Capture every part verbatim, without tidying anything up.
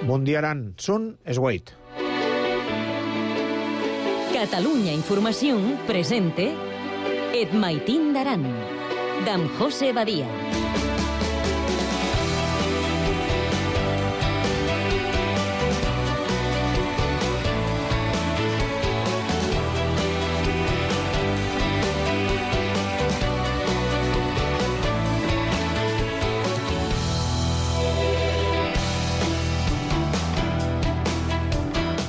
Bon dia, Aran. Són es vuit. Catalunya Informació presente Et Maitín d'Aran, d'en José Badia.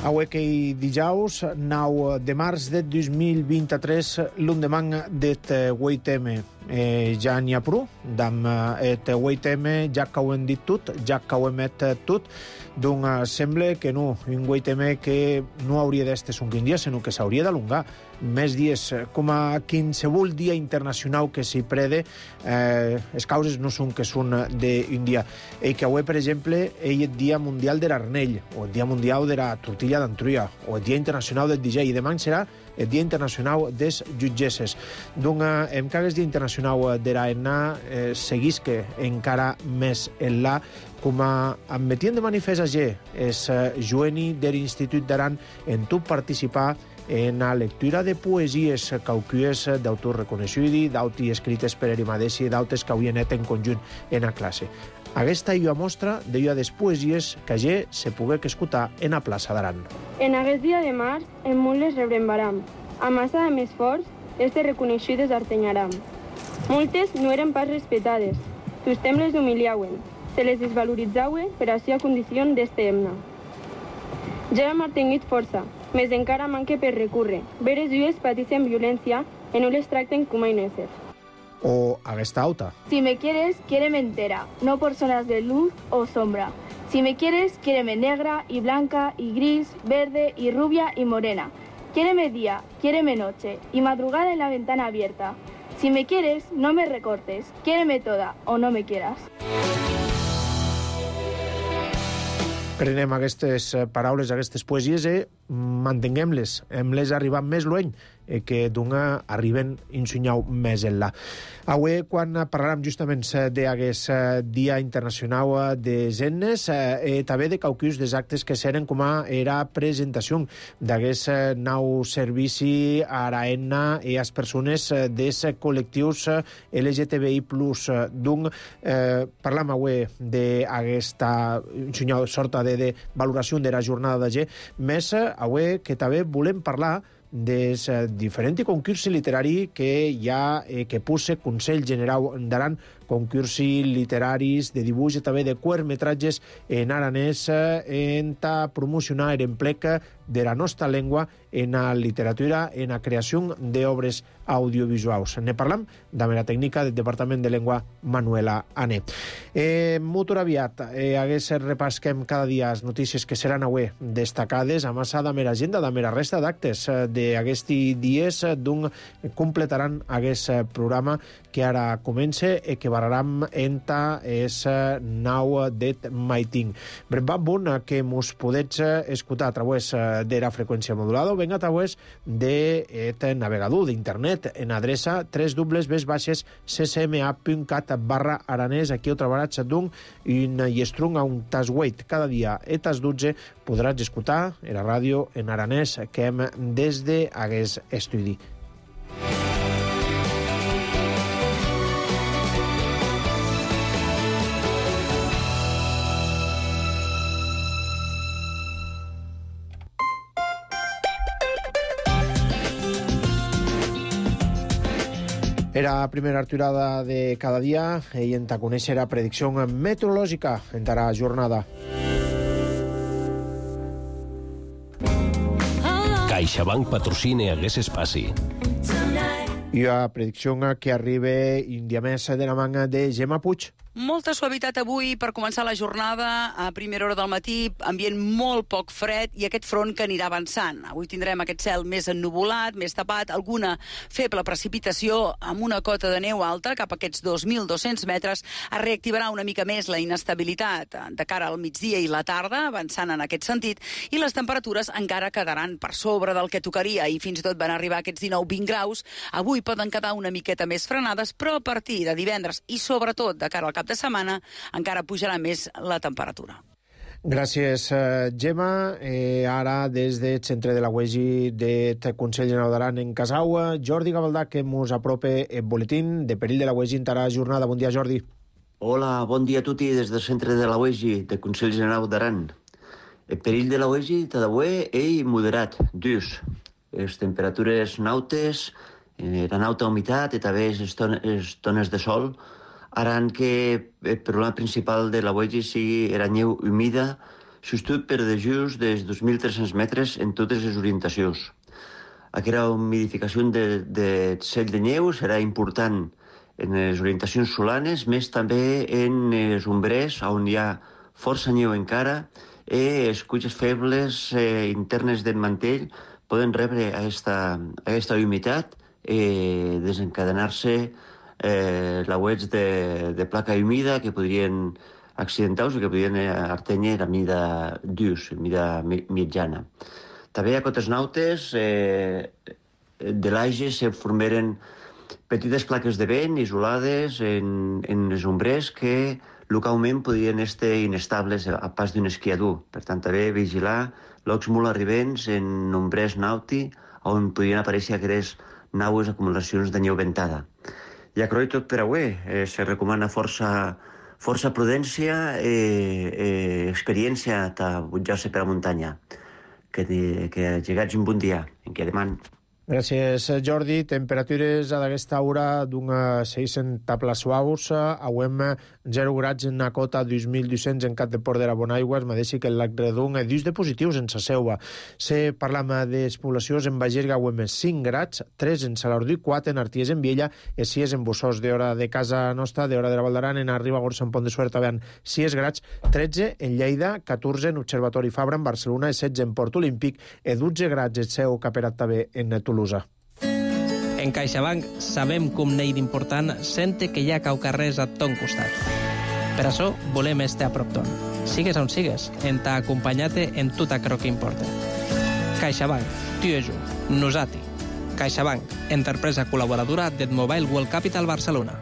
Avui que dijous, nou de març de dos mil vint-i-tres, l'endemà d'et vuit eme. Eh, ja n'hi ha prou, d'am et vuit eme, ja que ho hem dit tot, ja que ho hem dit tot, doncs sembla que no, un vuit eme que no hauria d'estar un quin dia, sinó que s'hauria d'alongar més dies, com a qualsevol dia internacional que s'hi prede, eh, les causes no són que són d'un dia. I que avui, per exemple, és el Dia Mundial de l'Arnell, o el Dia Mundial de la Tortilla d'Antruia, o el Dia Internacional del D J, i demà serà el Dia Internacional des jutgesses. Doncs, em que el Dia Internacional de l'A N A eh, seguís que encara més en la, com a em metien de manifest allà, és Joeni de l'Institut d'Aran en tot participar en la lectura de poesies caucues d'autors reconeguts, d'auti escrites per ell mateix i d'altres que havien anat en conjunt en la classe. Aquesta és la mostra de les poesies que allà se pogué escoltar en la plaça d'Aran. En aquest dia de març, en molt les rebrembaram. A massa de més forts, este reconegudes artenyaram. Moltes no eren pas respetades. Tostem les humiliauen. Se les desvaloritzaue per a la condició d'este himne. Ja hem artengut força, més encara manque per recurre. Veres llues pateixen violència i no les tracten com a inésser. O aquesta alta. Si me quieres, quiéreme entera, no por zonas de luz o sombra. Si me quieres, quiéreme negra y blanca y gris, verde y rubia y morena. Quiéreme día, quiéreme noche y madrugada en la ventana abierta. Si me quieres, no me recortes, quiéreme toda o no me quieras. Prenem aquestes paraules, aquestes poesies i mantinguem-les. Hem-les arribat més lluny i que d'una arriben insunyau més enllà. Avui, quan parlarem justament d'aquest Dia Internacional de Zennes, eh, també de caucus dels actes que seren com a era presentació d'aquest nou servici a l'AENA i a les persones dels col·lectius L G T B I plus. Doncs, eh, parlam avui d'aquesta insunyau sorta de, de valoració de la jornada de G, més avui que també volem parlar dels diferents concursos literaris que hi ha, eh, que posa Consell General d'Aran, concursos literaris de dibuix i també de curtmetratges en aranès en ta promocionar l'emplec de la nostra llengua en la literatura, en la creació d'obres audiovisuals. Ne parlam de la tècnica del Departament de Llengua, Manuela Ané. Eh, molt aviat, eh, hagués repasquem cada dia les notícies que seran avui destacades, a massa de mera agenda, de mera resta d'actes d'aquests dies, doncs completaran aquest programa que ara comença i que vararam enta és nau d'et Maitín. Brevat bon que mos podets escoltar a través de la freqüència modulada o ben a través d'et navegador d'internet en adreça w w w punt c c m a punt cat barra aranès. Aquí ho trobaràs d'un un llestrung a un tas huit. Cada dia a tas dotze podràs escoltar a la ràdio en aranès que hem des d'aquest estudi. Era la primera aturada de cada dia i en ta conèixer la predicció meteorològica en la jornada. CaixaBank patrocina aquest espai. I la predicció que arriba un dia més de la manga de Gemma Puig. Molta suavitat avui per començar la jornada. A primera hora del matí, ambient molt poc fred i aquest front que anirà avançant. Avui tindrem aquest cel més ennuvolat, més tapat, alguna feble precipitació amb una cota de neu alta, cap a aquests dos mil dos-cents metres. Es reactivarà una mica més la inestabilitat de cara al migdia i la tarda, avançant en aquest sentit, i les temperatures encara quedaran per sobre del que tocaria i fins i tot van arribar aquests dinou vint graus. Avui poden quedar una miqueta més frenades, però a partir de divendres i sobretot de cara al cap de setmana encara pujarà més la temperatura. Gràcies, Gemma. Eh, ara, des del centre de la U E G I del Consell Generau d'Aran en Casaua, Jordi Gavaldà, que ens apropa el boletín de perill de la U E G I en tarà jornada. Bon dia, Jordi. Hola, bon dia a tutti des del centre de la U E G I del Consell Generau d'Aran. El perill de la U E G I tadaué és moderat, dus. Les temperatures nautes, eh, la nauta humitat i també les tones de sol haran que el problema principal de la U E G I sigui la neu humida, sostut per dejus dels dos mil tres-cents metres en totes les orientacions. Aquesta humidificació de, de cel de neu serà important en les orientacions solanes, més també en els ombrers, on hi ha força neu encara, i les cuixes febles eh, internes del mantell poden rebre aquesta, aquesta humitat i desencadenar-se eh, lauets de, de placa humida que podrien accidentar-se o que podrien artenyer a mida d'ús, a mida mitjana. També a cotes nautes eh, de l'Aige se formeren petites plaques de vent isolades en, en les ombrers que localment podien estar inestables a pas d'un esquiador. Per tant, també vigilar llocs molt arribents en ombrers nauti on podien aparèixer aquestes naues acumulacions de neu ventada. I a Croi tot per avui. Eh, se recomana força, força prudència i eh, experiència a butjar-se per la muntanya. Que, que llegats un bon dia. En què deman. Gràcies, Jordi. Temperatures a d'aquesta hora d'una seiscenta suaus, auem zero grads en la cota dos mil dos-cents en Cap de Port de la Bonaigua, es mateixi que el lac Redon, dus de positius en sa seua. Se parlam de poblacions en Bagerga, auem cinc grads, tres en Salardú, quatre en Arties en Viella, i sis en Bossós, d'hora de casa nostra, d'hora de la Val d'Aran, en Arriba, Gorsa, en Pont de Suert, vean sis grads, tretze en Lleida, catorze en Observatori Fabra, en Barcelona, setze en Port Olímpic, i dotze grads el seu caperat també en Toulouse. En CaixaBank sabem com n'hi d'important sente que hi ha caucarrers a ton costat. Per això volem estar a prop ton. Sigues on sigues, en t'ha acompanyat en tot aquello que importa. CaixaBank, tu i jo, nosati. CaixaBank, empresa col·laboradora del Mobile World Capital Barcelona.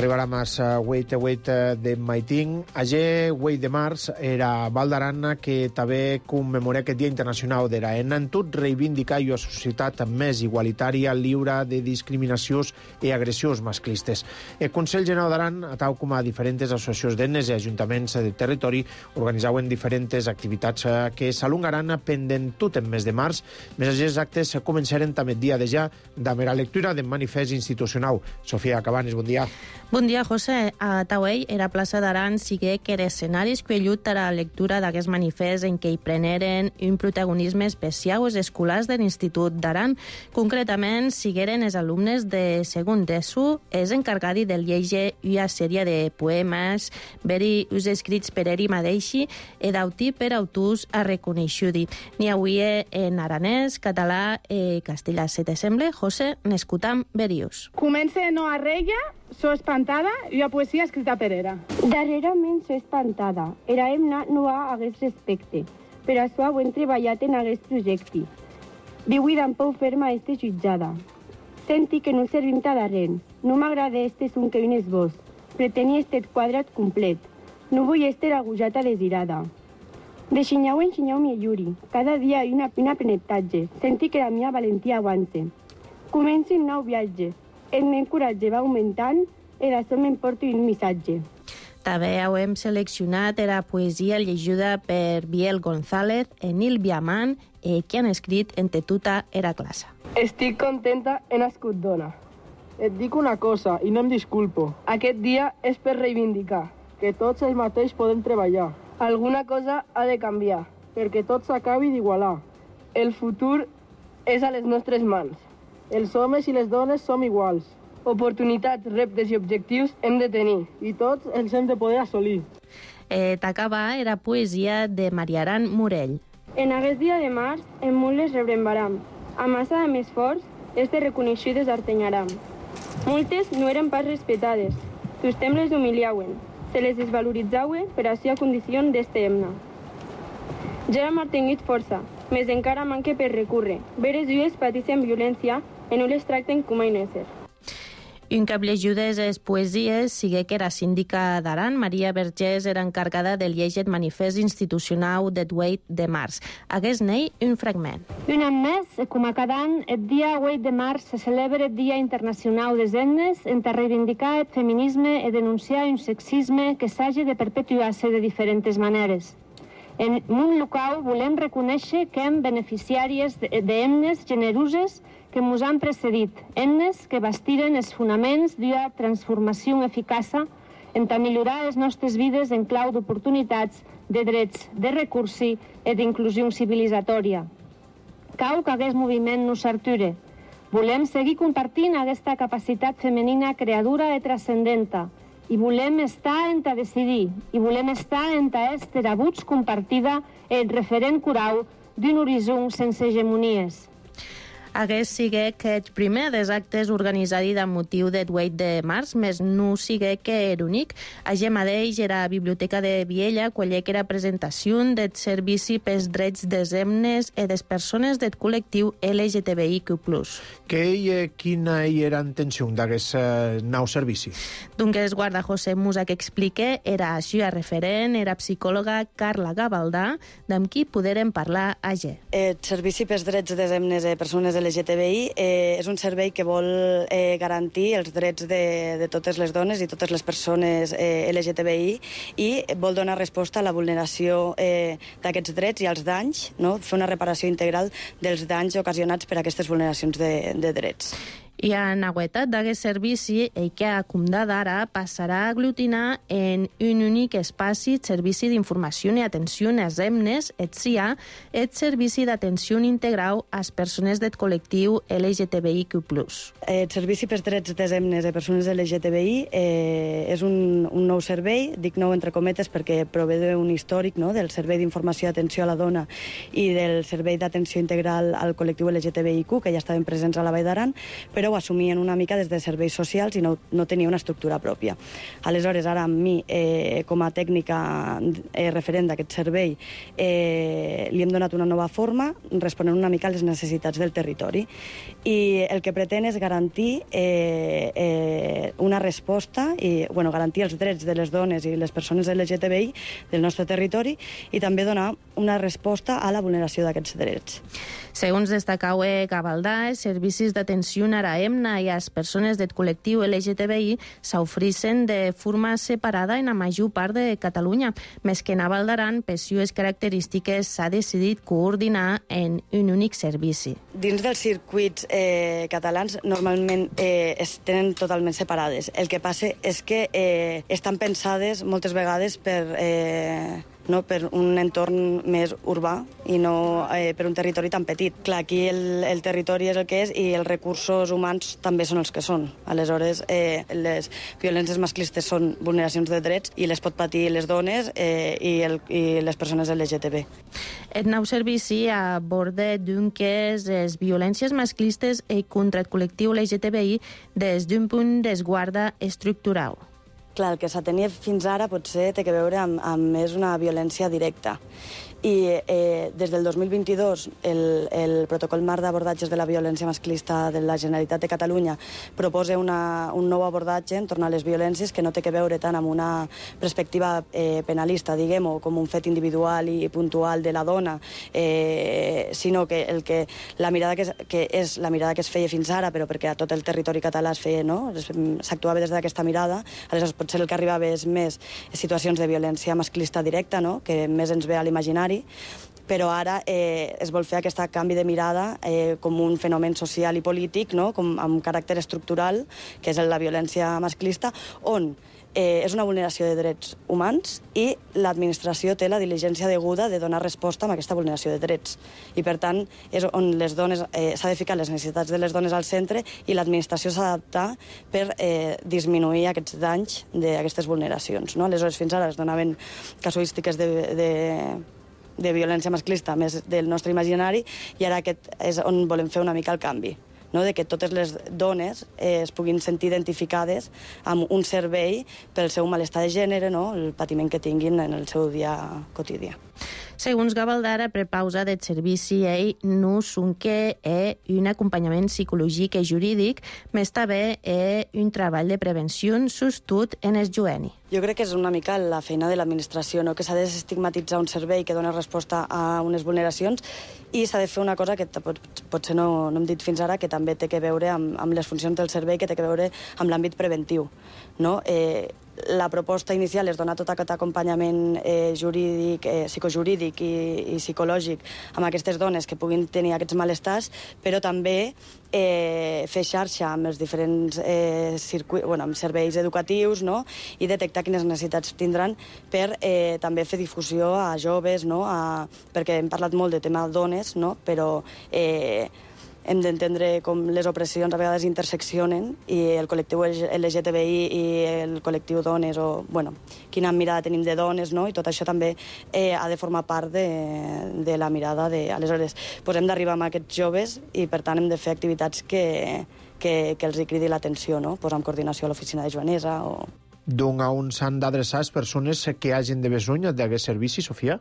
Arribarà més Wait a Wait de Maiting. Ayer, Wait de març, era Val d'Aran que també commemora aquest Dia Internacional de la Eina. En tot reivindicar una societat més igualitària, lliure de discriminacions i agressions masclistes. El Consell Generau d'Aran, tal com a diferents associacions d'enes i ajuntaments del territori, organitzaven diferents activitats que s'alongaran pendent tot en mes de març. Més aquests actes començaren també el dia de ja amb la lectura del manifest institucional. Sofia Cabanes, bon dia. Bon dia, José. A Tauell, era plaça d'Aran, sigue que era escenari escollit a la lectura d'aquest manifest en què hi preneren un protagonisme especial els escolars de l'Institut d'Aran. Concretament, sigueren els alumnes de segon d'ESO, és encargadi del llegir una sèrie de poemes, veri us escrits per eri madeixi, e d'autí per autors a reconeixudi. N'hi hauria en aranès, català i castellà. Se te sembla, José, n'escutam verius. Comença no a reia, so espantada i la poesia escrita per era. Darrerament so espantada. Era hemna no ha hagués respecte. Per això ho hem treballat en aquest projecte. Viui d'en pou ferma este jutjada. Senti que no servim ta darrere. No m'agrada este son que un esbós. Pretenia este quadrat complet. No vull este agujata desirada. De xinyau en xinyau mi lluri. Cada dia hi una, un aprenentatge. Senti que la mia valentia aguante. Comenci un nou viatge. El meu coratge va augmentant i d'això m'emporto un missatge. També hem seleccionat la poesia llegida per Biel González, Enil Biaman, eh, que han escrit entre tota era classe. Estic contenta, he nascut dona. Et dic una cosa i no em disculpo. Aquest dia és per reivindicar que tots el mateix podem treballar. Alguna cosa ha de canviar, perquè tot s'acabi d'igualar. El futur és a les nostres mans. Els homes i les dones som iguals. Oportunitats, reptes i objectius hem de tenir i tots els hem de poder assolir. Eh, T'acaba era poesia de Mariaran Morell. En aquest dia de març, en mules rebrem baram. A massa de més forts, este reconeixides artenyaram. Moltes no eren pas respetades. Tustem les humiliauen. Se les desvaloritzaue per a ser condició d'este hemna. Ja hem mantingut força, més encara manca per recórrer. Veres dues pateixen violència i no les tracten com a ésser. Un cap llegiudes es poesies sigue que era síndica d'Aran. Maria Vergés era encarregada del llegir manifest institucional de vuit de març. Hagués nei un fragment. Un any més, com a cada any, el dia vuit de març se celebra el Dia Internacional des Dones en reivindicar el feminisme i denunciar un sexisme que s'hagi de perpetuar-se de diferents maneres. En un local volem reconèixer que hem beneficiàries d'himnes generoses que ens han precedit, himnes que bastiren els fonaments d'una transformació eficaça en millorar les nostres vides en clau d'oportunitats, de drets, de recursos i d'inclusió civilitzatòria. Cau que aquest moviment no s'ature. Volem seguir compartint aquesta capacitat femenina creadora i transcendenta, i volem estar en a decidir, i volem estar en a estar abuts compartida el referent curau d'un horitzó sense hegemonies. Hagués sigue que el primer dels actes organitzats amb motiu del vuit de març, més no sigue que era únic. Allà mateix era la Biblioteca de Viella, quan que era presentació del servici pels drets des hemnes i des persones del col·lectiu L G T B I Q plus. Que ell, quina hi era intenció d'aquest uh, nou servici? Doncs el guarda José Musa que explique era així a referent, era psicòloga Carla Gavaldà, d'amb qui poderem parlar allà. El servici pels drets des hemnes i persones L G T B I eh, és un servei que vol eh, garantir els drets de, de totes les dones i totes les persones eh, L G T B I i vol donar resposta a la vulneració eh, d'aquests drets i als danys, no? Fer una reparació integral dels danys ocasionats per aquestes vulneracions de, de drets. I a novetat d'aquest servici, el que a comptar d'ara passarà a aglutinar en un únic espaci el servici d'informació i atenció als hemnes, et S I A, el servici d'atenció integral a les persones del col·lectiu L G T B I Q plus. El servici pels drets des hemnes i persones L G T B I eh, és un, un nou servei, dic nou entre cometes perquè prové d'un històric, no?, del servei d'informació i atenció a la dona i del servei d'atenció integral al col·lectiu L G T B I Q, que ja estaven presents a la Vall d'Aran, però ho assumien una mica des de serveis socials i no, no tenia una estructura pròpia. Aleshores, ara amb mi, eh, com a tècnica eh, referent d'aquest servei, eh, li hem donat una nova forma, responent una mica a les necessitats del territori. I el que pretén és garantir eh, eh, una resposta, i bueno, garantir els drets de les dones i les persones L G T B I del nostre territori i també donar una resposta a la vulneració d'aquests drets. Segons destacau Gavaldà, els servicis d'atenció a la hemna i a les persones del col·lectiu L G T B I s'ofereixen de forma separada en la major part de Catalunya, més que en Val d'Aran, per les característiques, s'ha decidit coordinar en un únic servici. Dins dels circuits eh, catalans normalment eh, es tenen totalment separades. El que passa és que eh, estan pensades moltes vegades per... Eh, no, per un entorn més urbà i no eh, per un territori tan petit. Clar, aquí el, el territori és el que és i els recursos humans també són els que són. Aleshores, eh, les violències masclistes són vulneracions de drets i les pot patir les dones eh, i, el, i les persones L G T B. El nou servici aborda doncs les violències masclistes i contra el col·lectiu L G T B I des d'un punt d'esguarda estructural. Clar, el que s'atenia fins ara potser té que veure amb, amb més una violència directa. I eh, des del dos mil vint-i-dos el, el protocol marc d'abordatges de la violència masclista de la Generalitat de Catalunya proposa una, un nou abordatge en torno a les violències que no té que veure tant amb una perspectiva eh, penalista, diguem-ho, com un fet individual i puntual de la dona, eh, sinó que, el que la mirada que és, que és la mirada que es feia fins ara, però perquè a tot el territori català es feia, no? S'actuava des d'aquesta mirada, aleshores potser el que arribava és més situacions de violència masclista directa, no? Que més ens ve a l'imaginari, però ara eh, es vol fer aquest canvi de mirada eh, com un fenomen social i polític, no? Com amb caràcter estructural, que és la violència masclista, on eh, és una vulneració de drets humans i l'administració té la diligència deguda de donar resposta a aquesta vulneració de drets. I, per tant, és on les dones eh, s'ha de ficar les necessitats de les dones al centre i l'administració s'ha d'adaptar per eh, disminuir aquests danys d'aquestes vulneracions. No? Aleshores, fins ara es donaven casuístiques de... de de violència masclista més del nostre imaginari i ara aquest és on volem fer una mica el canvi, no? De que totes les dones eh, es puguin sentir identificades amb un servei pel seu malestar de gènere, no? El patiment que tinguin en el seu dia quotidià. Segons Gavaldara, prepausa del servici ell no sonque è un acompanyament psicològic i jurídic, més també è un treball de prevenció sostut en el jueni. Jo crec que és una mica la feina de l'administració, no? Que s'ha de desestigmatitzar un servei que dona resposta a unes vulneracions i s'ha de fer una cosa que pot, potser no, no hem dit fins ara, que també té que veure amb, amb les funcions del servei, que té que veure amb l'àmbit preventiu. No? Eh, la proposta inicial és donar tot aquest acompanyament eh, jurídic, eh, psicojurídic i, i psicològic amb aquestes dones que puguin tenir aquests malestars, però també eh, fer xarxa amb els diferents eh, circuits, bueno, amb serveis educatius, no? I detectar quines necessitats tindran per eh, també fer difusió a joves, no? A, perquè hem parlat molt de tema dones, no? Però eh, hem d'entendre com les opressions a vegades interseccionen i el col·lectiu L G T B I i el col·lectiu dones, o, bueno, quina mirada tenim de dones, no? I tot això també eh, ha de formar part de, de la mirada de... Aleshores, pues hem d'arribar amb aquests joves i, per tant, hem de fer activitats que, que, que els hi cridi l'atenció, no? Pues amb coordinació a l'oficina de Joanesa o... D'on a on s'han d'adreçar les persones que hagin de besonya d'aquest servici, Sofia?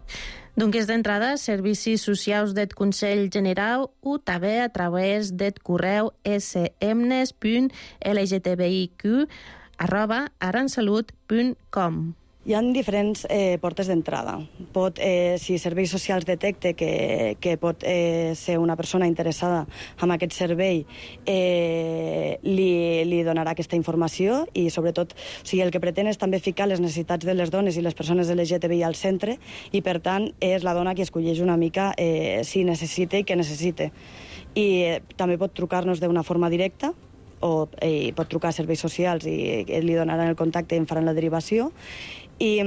Doncs d'entrada, servicis socials del Consell General o també a través del correu smnes punt lgtbiq arroba aransalut punt com. Hi ha diferents eh, portes d'entrada. Pot, eh, si Serveis Socials detecte que, que pot eh, ser una persona interessada en aquest servei, eh, li, li donarà aquesta informació i, sobretot, o sigui, el que pretén és també ficar les necessitats de les dones i les persones L G T B I al centre i, per tant, és la dona qui escolleix una mica eh, si necessita i què necessita. I eh, també pot trucar-nos d'una forma directa, o eh, pot trucar a Serveis Socials i eh, li donaran el contacte i en faran la derivació. I,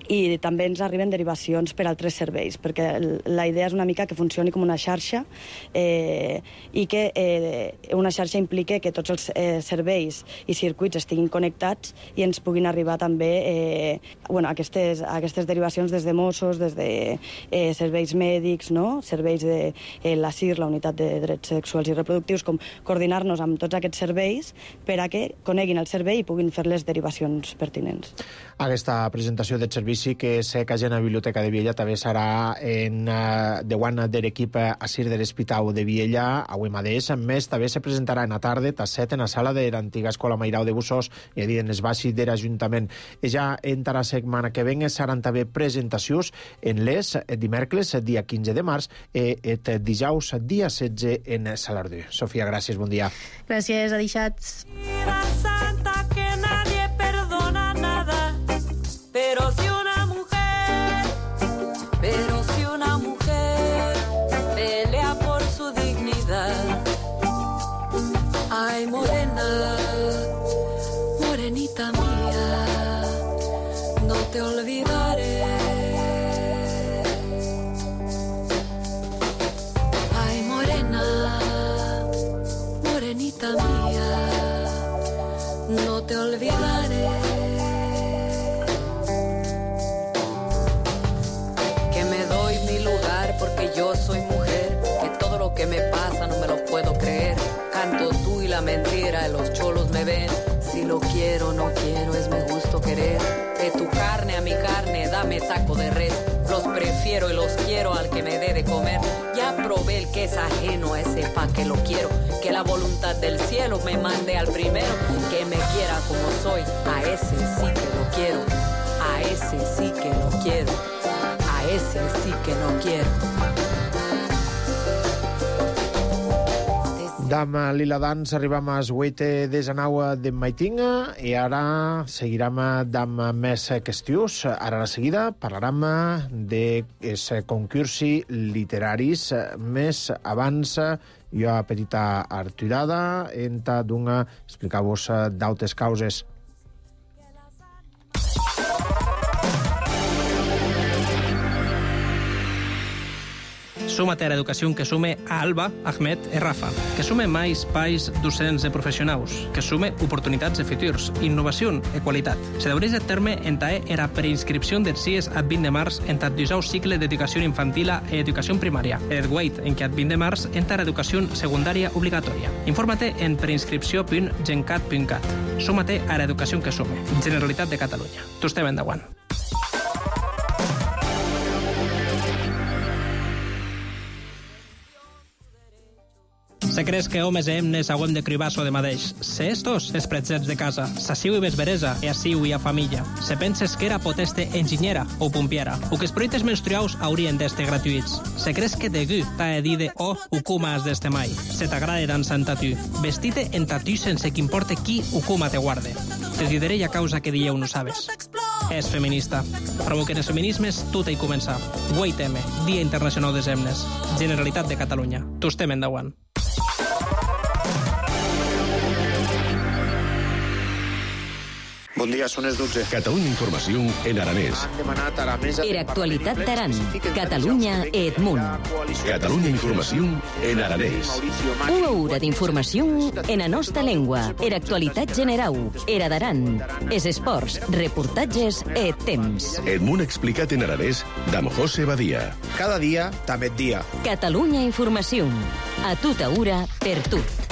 i també ens arriben derivacions per altres serveis, perquè la idea és una mica que funcioni com una xarxa eh, i que eh, una xarxa implique que tots els eh, serveis i circuits estiguin connectats i ens puguin arribar també eh, bueno, aquestes, aquestes derivacions des de Mossos, des de eh, serveis mèdics, no? Serveis de eh, la C I R, la Unitat de Drets Sexuals i Reproductius, com coordinar-nos amb tots aquests serveis per a que coneguin el servei i puguin fer les derivacions pertinents. Aquesta presentació del servici que se cagen a la Biblioteca de Viella també serà en uh, de Guana de l'equip a Sir de l'Hospital de Viella, avui mateix. A més, també se presentarà en la tarda, a set, en la sala de l'antiga Escola Mairau de Bussos, i a dir, en els baixos de l'Ajuntament. Ja entre la setmana que venga seran també presentacions en les dimecres, dia quinze de març, i et dijous, dia setze, en Salardú. Sofia, gràcies, bon dia. Gràcies, adixats. Santa que nadie perdona nada, pero si una mujer, pero si una mujer pelea por su dignidad. Ay, morena, morenita mía, no te olvidaré. Ay, morena, morenita mía, no te olvidaré. Que me doy mi lugar porque yo soy mujer, que todo lo que me pasa no me lo puedo creer. Canto tú y la mentira, y los cholos me ven. Si lo quiero, no quiero, es mi gusto querer. De tu carne a mi carne, dame taco de res. Los prefiero y los quiero al que me dé de comer. Ya probé el que es ajeno, a ese pa' que lo quiero. Que la voluntad del cielo me mande al primero. Que me quiera como soy, a ese sí que lo quiero. A ese sí que lo quiero. A ese sí que no quiero. Dam Lila Dans arribam a vuit de Zanaua de Maitinga i ara seguirem amb més qüestions. Ara a la seguida parlarem de concursi literaris. Més abans, jo a petita arturada, enta d'una explicar-vos d'altres causes. Súmate a l'educació que sume a Alba, Ahmed i Rafa, que sume més espais docents de professionals, que sume oportunitats de futurs, innovació i qualitat. Se deureix de terme entae era preinscripció dels C I E S ad vint de març enta dijous cicle d'educació infantil i educació primària. Et guait en que ad vint de març enta educació secundària obligatòria. Infórmate en preinscripció punt gencat punt cat. Súmate a l'educació que sume. Generalitat de Catalunya. Tu estem endavant. Se creus que homes e hemnes hauem de cribar-so de madeix. Se estos, es pretzets de casa. Sassiu i vesveresa, e assiu i a família. Se penses que era poteste enginyera o pompiera, o que els proiectes menstruaus haurien d'este gratuïts. Se creus que de gu t'ha de dir de o ucuma has d'este mai. Se t'agrada dansar en tatu. Vestite en tatu sense que importe qui ucuma te guarde. Te diré a causa que dieu no sabes. És feminista. Provoquen els feminismes, tot hi comença. vuit eme, Dia Internacional des Hemnes. Generalitat de Catalunya. Tu estem endavant. Bon dia, són les dotze. Catalunya Informació en aranès. Era actualitat d'Aran. Catalunya et Munt. Catalunya Informació en aranès. Una hora d'informació en la nostra llengua. Era actualitat general. Era d'Aran. Es esports, reportatges et temps. El Munt explicat en aranès d'Am José Badia. Cada dia, també dia. Catalunya Informació. A tota hora, per tot.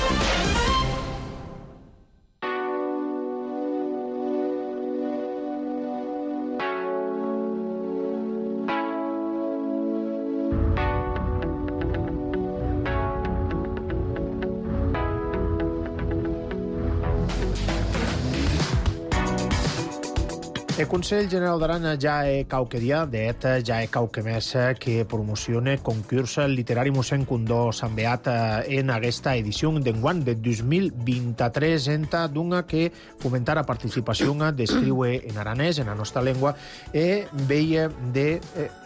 El Consell General d'Aran ja he cauque dia, d'et ja he cauque més que promocione concurs literari mossèn Condó Sant Beat en aquesta edició d'enguany de dos mil vint-i-tres, enta d'una que fomentar la participació d'escriure en aranès, en la nostra llengua, e veia de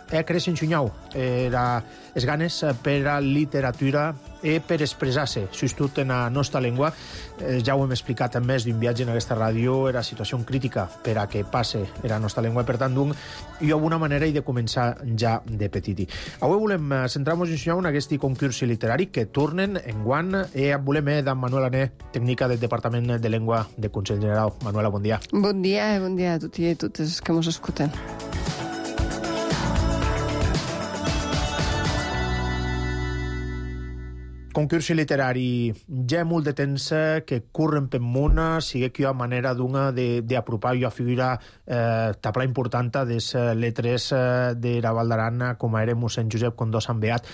e cres enxunyau era es ganes per a literatura e per expressar-se, justut en la nostra llengua. Eh, ja ho hem explicat en més d'un viatge en aquesta ràdio, era situació crítica per a que passe en la nostra llengua, per tant, d'un, hi ha una manera i de començar ja de petiti. Avui volem centrar-nos en aquest concurs literari que tornen en guant i volem d'en Manuela Ané, tècnica del Departament de Llengua de Consell General. Manuela, bon dia. Bon dia, bon dia a tots i a totes que ens escolten. Concurs literari, ja molt de temps que corren per món, sigue que hi ha manera d'una d'apropar i a figura eh, tabla important des letres de la Val d'Aran, com era mossèn Josep Condó Sant Beat,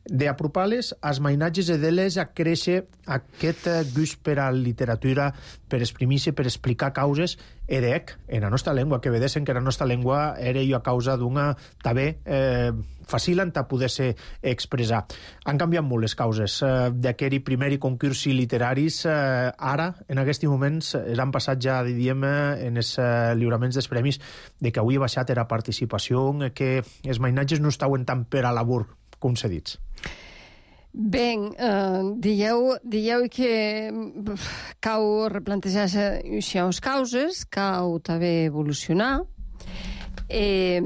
d'apropar-les als mainatges i d'elles a créixer aquest gust per a literatura, per exprimir-se, per explicar causes, edec, en la nostra llengua, que vedessin que la nostra llengua era jo a causa d'una també eh, fàcil en poder-se expressar. Han canviat molt les causes eh, d'aquest primer concurs literaris. Eh, ara, en aquests moments, han passat ja, diríem, en els eh, lliuraments dels premis, de que avui ha baixat la participació, que els mainatges no estaven tant per a labor, com s'ha dit. Bé, eh, dieu, dieu que cau replantejar-se les causes, cau també evolucionar. Eh,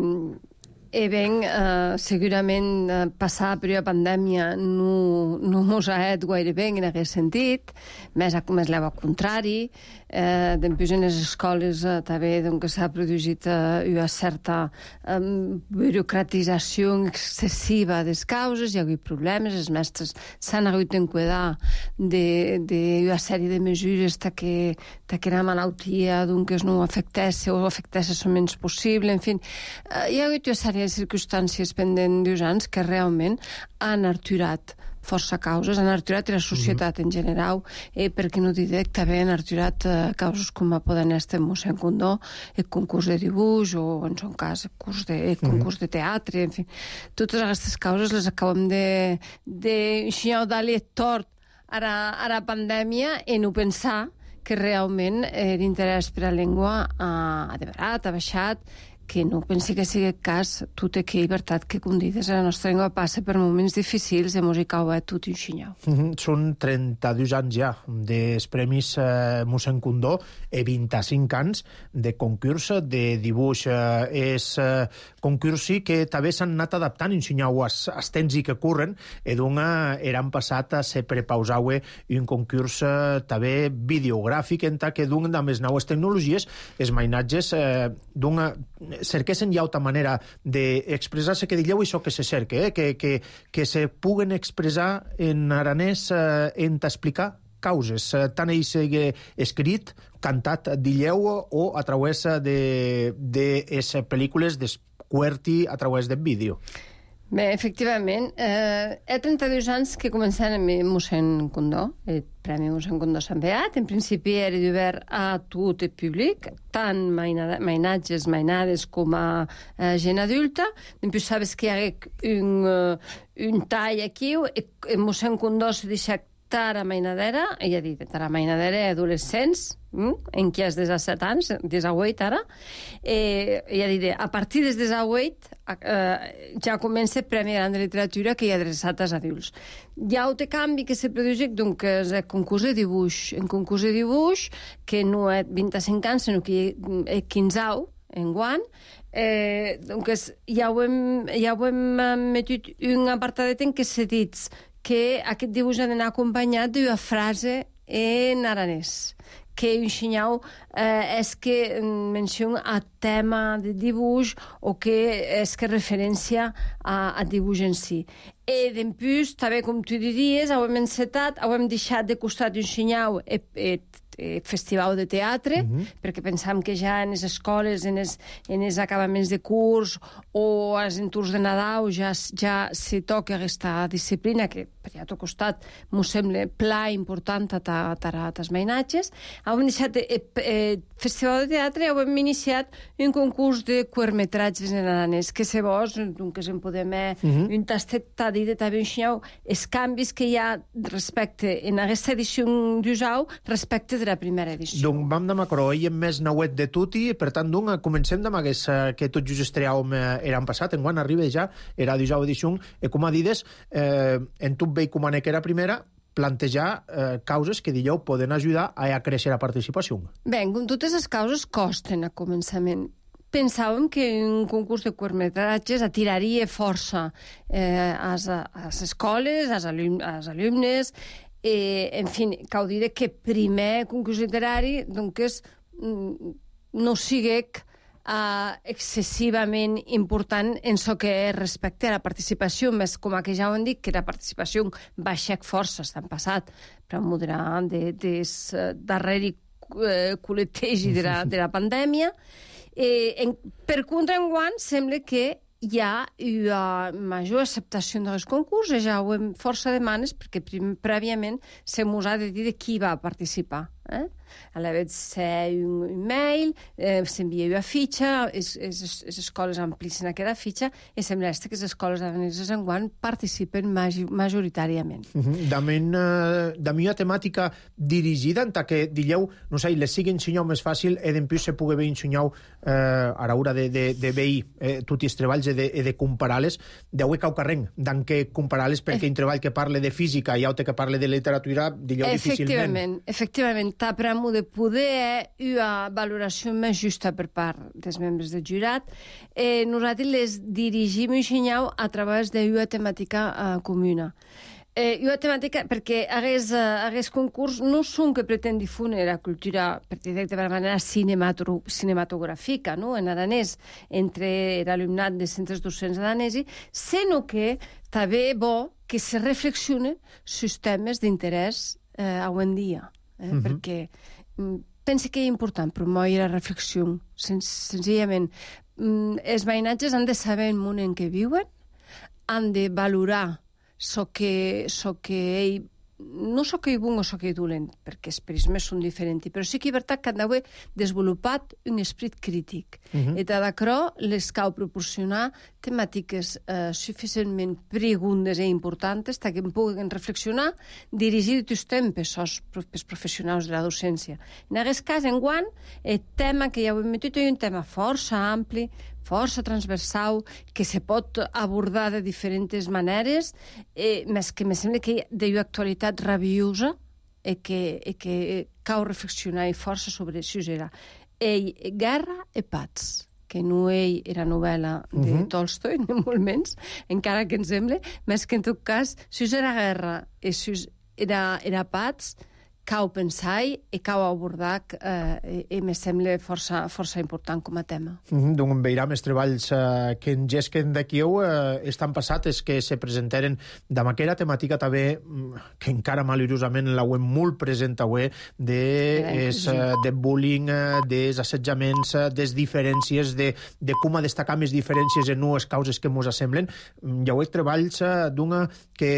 E ben, eh, segurament eh, passar per la pandèmia no, no mos ha et gaire bé en aquest sentit, més, més l'eu al contrari. Eh, després en les escoles eh, també doncs, s'ha produït eh, una certa eh, burocratització excessiva de les causes, hi ha hagut problemes, els mestres s'han hagut d'enquadar d'una sèrie de mesures ta que, ta que la malaltia doncs, no afectés o afectés el menys possible, en fi, eh, hi ha hagut una sèrie de circumstàncies pendent d'uns anys que realment han arturat força causes, han arturat la societat mm-hmm. en general, eh, perquè no diré que també han arturat eh, causes com a poden estar mossèn Condó, el concurs de dibuix o, en son cas, el, curs de, el concurs mm-hmm. de teatre, en fi. Totes aquestes causes les acabem de, de dar-li tort a la, a la pandèmia i no pensar que realment l'interès per a la llengua ha devarat, ha baixat, que no pensi que sigui el cas, tota aquella llibertat que, com dius, la nostra llengua passa per moments difícils de música o tot un xinyau. Mm-hmm. Són trenta-dos anys ja dels Premis eh, mossèn Condó i vint-i-cinc anys de concurs de dibuix. Eh, és eh, concursi que també s'han anat adaptant en xinyau als, als temps i que corren, i d'una eren passat a ser prepausau un concurs eh, també videogràfic, en ta que d'un de les noves tecnologies, els mainatges eh, d'una cerquessin ja altra manera d'expressar-se, que digueu això que se cerque, eh? que, que, que se puguen expressar en aranès eh, en t'explicar causes, eh, tant ell sigui escrit, cantat, dilleu, o a través de, de les pel·lícules d'esquerti a través del vídeo. Bé, efectivament, eh, hi ha trenta-dos anys que començaren amb mossèn Condó, el Premi mossèn Condó Sant Beat. En principi era obert a tot el públic, tant mainatges, mainades com a eh, gent adulta. Després sabes que hi ha un, un tall aquí, el mossèn Condó se deixa tara mainadera, ella ha dit, tara mainadera adolescents, mm? en qui és des de set anys, des de vuit ara, eh, ella ha dit, a partir des de vuit eh, ja comença el Premi Gran de Literatura que hi ha adreçat als adults. Hi ha un canvi que se produeix, doncs, és el concurs de dibuix. En concurs de dibuix, que no és vint-i-cinc anys, sinó que és quinze en guany, eh, doncs, ja ho hem, ja ho hem metut un apartadet en què se dit que aquest dibuix ha d'anar acompanyat d'una frase en aranès, que ensenyau eh, és que menciona a tema de dibuix o que és que referència a, a dibuix en si. I després, també com tu diries, ho hem encetat, ho hem deixat de costat d'ensenyar el, el, el festival de teatre, mm-hmm. perquè pensam que ja en les escoles, en els, en els acabaments de curs o als entorns de Nadal ja, ja se toca aquesta disciplina que per allà tot costat m'ho sembla pla important a els mainatges. Hem deixat el, el festival de teatre i hem iniciat un concurs de curtmetratges en aranès, que se vos, doncs en podem mm-hmm. un tastet a dir de també ensenyar els canvis que hi ha respecte en aquesta edició d'Usau respecte de la primera edició. Donc vam de macro, i hem més nauet de tuti, per tant, doncs, comencem amb aquest que tot just estreàvem l'any passat, en quan arriba ja, era d'Usau edició, i com a dides, eh, en tot veig com a que era primera, plantejar eh, causes que, digueu, poden ajudar a créixer la participació. Bé, com totes les causes costen a començament. Pensàvem que un concurs de curtmetratges atiraria força eh, a les escoles, als alumnes, eh, en fi, cal dir que primer concurs literari doncs, no sigui uh, excessivament important en el que respecte a la participació, més com que ja ho hem dit, que la participació baixa força, està passat per moderar de, des darreri eh, col·letegi de la, de la pandèmia. Eh, en, per contra, enguany, sembla que hi ha una major acceptació dels concurs, ja ho hem força demanes, perquè prim, prèviament se mos ha de dir de qui va participar. Eh? A la vegada ser un, un mail, eh, s'envia una fitxa, les escoles amplissen aquesta fitxa, i sembla que les escoles araneses enguany participen majoritàriament. Uh-huh. Damen, uh, dami una temàtica dirigida en que, digueu, no sé, les sigui ensenyau més fàcil i després se pugui haver ensenyau eh, a l'hora de, de, de veir eh, tots els treballs i de, de comparar-les, deu cau carreng, d'en què comparar-les perquè un treball que parle de física i altre que parle de literatura, digueu, difícilment. Efectivament, efectivament. T'apremo de poder una valoració més justa per part dels membres del jurat. Eh, nosaltres les dirigim i ensenyau a través d'una temàtica eh, comuna. Eh, una temàtica, perquè aquest uh, concurs no són que pretén difondre la cultura, per dir de manera cinematogràfica, no? En aranès, entre l'alumnat de centres docents aranesos, sinó que també bo que se reflexione sus temes d'interès eh, avui en dia. Eh? Mm-hmm. Perquè mm, pense que és important promoure la reflexió. Sen senzillament, mm, els mainatges han de saber el món en què viuen, han de valorar so que, so que ell, no so que ell bon o so que ell dolent, perquè els prismes són diferents, però sí que és veritat que han d'haver desenvolupat un esperit crític. Uh-huh. I d'acrò les cal proporcionar temàtiques eh, suficientment preguntes i importants perquè en puguin reflexionar dirigir tots temps pels professionals de la docència. En aquest cas, enguany, el tema que ja ho hem metut és un tema força ampli, força transversal, que se pot abordar de diferents maneres, eh, més que me sembla que d'una actualitat rabiosa i que, i que cal reflexionar i força sobre això era. Ell, Guerra i Pats, que no ell era novel·la de uh-huh. Tolstoi, ni molt menys, encara que em sembla, més que en tot cas, si era Guerra i si era, era Pats, cau pensar i cau abordar eh, i me sembla força, força important com a tema. Mm-hmm. Doncs veiram els treballs eh, que engesquen d'aquí eh, estan passats, que se presentaren d'amb aquella temàtica també, que encara malheurosament la web molt present avui, de, es, eh, de bullying, eh, dels assetjaments, eh, des diferències, de, de com a destacar més diferències en unes causes que mos assemblen. Hi ha treballs eh, d'una que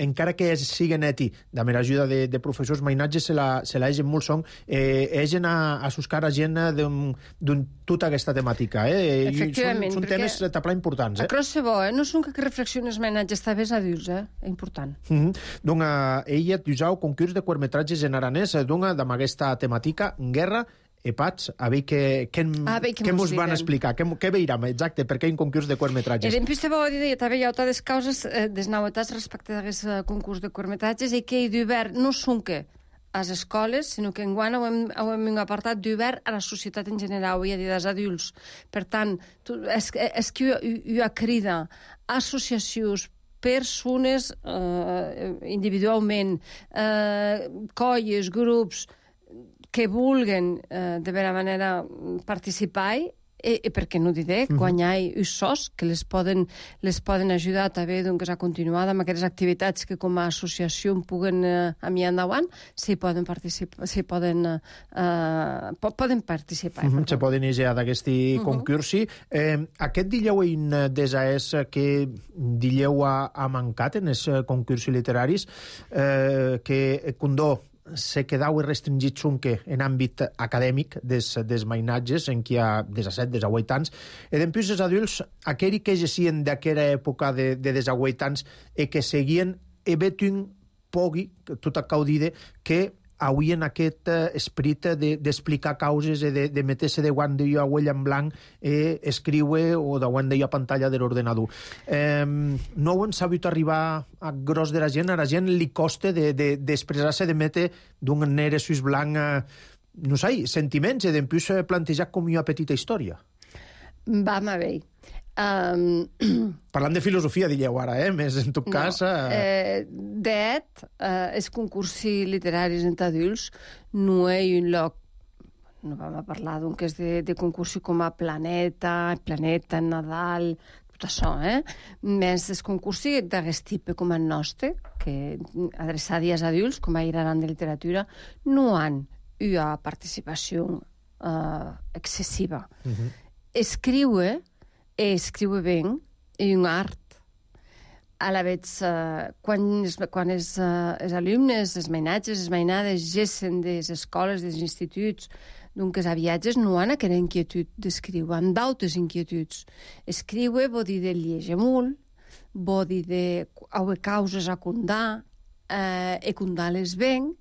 encara que siguen eti, amb l'ajuda de, de professors mainatges, se la, se la egen molt son, eh, egen a, a suscar a gent d'un tota aquesta temàtica. Eh? Efectivament. Són, són temes taplar importants. Eh? Across se bo, eh? No són que reflexiones mainatges, també és adults, eh? Important. Mm-hmm. Donc, eh, ella t'usau concurs de curtmetratges en aranès, doncs, amb aquesta temàtica, guerra, Epats, a veure què, què, a veure què què mos van direm. explicar, què, què veiram, exacte, per què un concurs de curtmetratges. E dempús te vau dir, també hi ha altres causes eh, des novetats respecte d'aquest concurs de curtmetratges i que hi d'obert no són que a les escoles, sinó que enguany ho hem, ho hem apartat d'obert a la societat en general i a dir dels adults. Per tant, tu, és, és que hi ha crida associacions, persones eh, individualment, eh, colles, grups, que vulguen eh, de vera manera participar i, i per què no diré, Mm-hmm. quan hi ha usos que les poden, les poden ajudar també doncs, a continuar amb aquestes activitats que com a associació puguen eh, a mi endavant, si poden participar, si poden, eh, po poden participar. Mm-hmm. Se poden iniciar d'aquest Mhm. concursi. Eh, aquest dileu en desaès que dileu ha, ha mancat en els concursos literaris, eh, que Condó se quedau restringit sonque en àmbit acadèmic des, des mainatges, en qui hi ha des a set, des a vuit anys, e dempús els adults, aquells que gessien d'aquella època de, de des a vuit anys e que seguien, e vetun pogui, tot a caudide, que avui en aquest eh, esperit d'explicar de, causes i de, de meter-se de guant d'allò a huella en blanc i escriure o de guant d'allò a pantalla de l'ordenador. Eh, no ho han sabut arribar a gros de la gent, a la gent li costa d'expressar-se, de, de metre d'un negre sus blanc, eh, no sé, sentiments, i d'empús plantejar com una petita història. Vam a veure. Um... Parlant de filosofia, dieu ara, eh? Més en tot no. cas... Eh... Eh, D'et, eh, els concursos literaris entre adults no hi ha un lloc, no vam a parlar d'un que és de, de concursos com a Planeta, Planeta, Nadal, tot això, eh? Més els concursos d'aquest tipus com el nostre, que adreçats als adults, com a Iraran de literatura, no han una participació eh, excessiva. Uh-huh. Escriure e escriure ben és un art. A la vez, uh, quan, es, quan els, uh, els alumnes, els mainatges, les mainades, gessen de les escoles, dels instituts, doncs a viatges no han aquella inquietud d'escriure, han d'altres inquietuds. Escriure vol dir de llegir molt, vol dir de haver causes a condar, eh, e condar-les ben,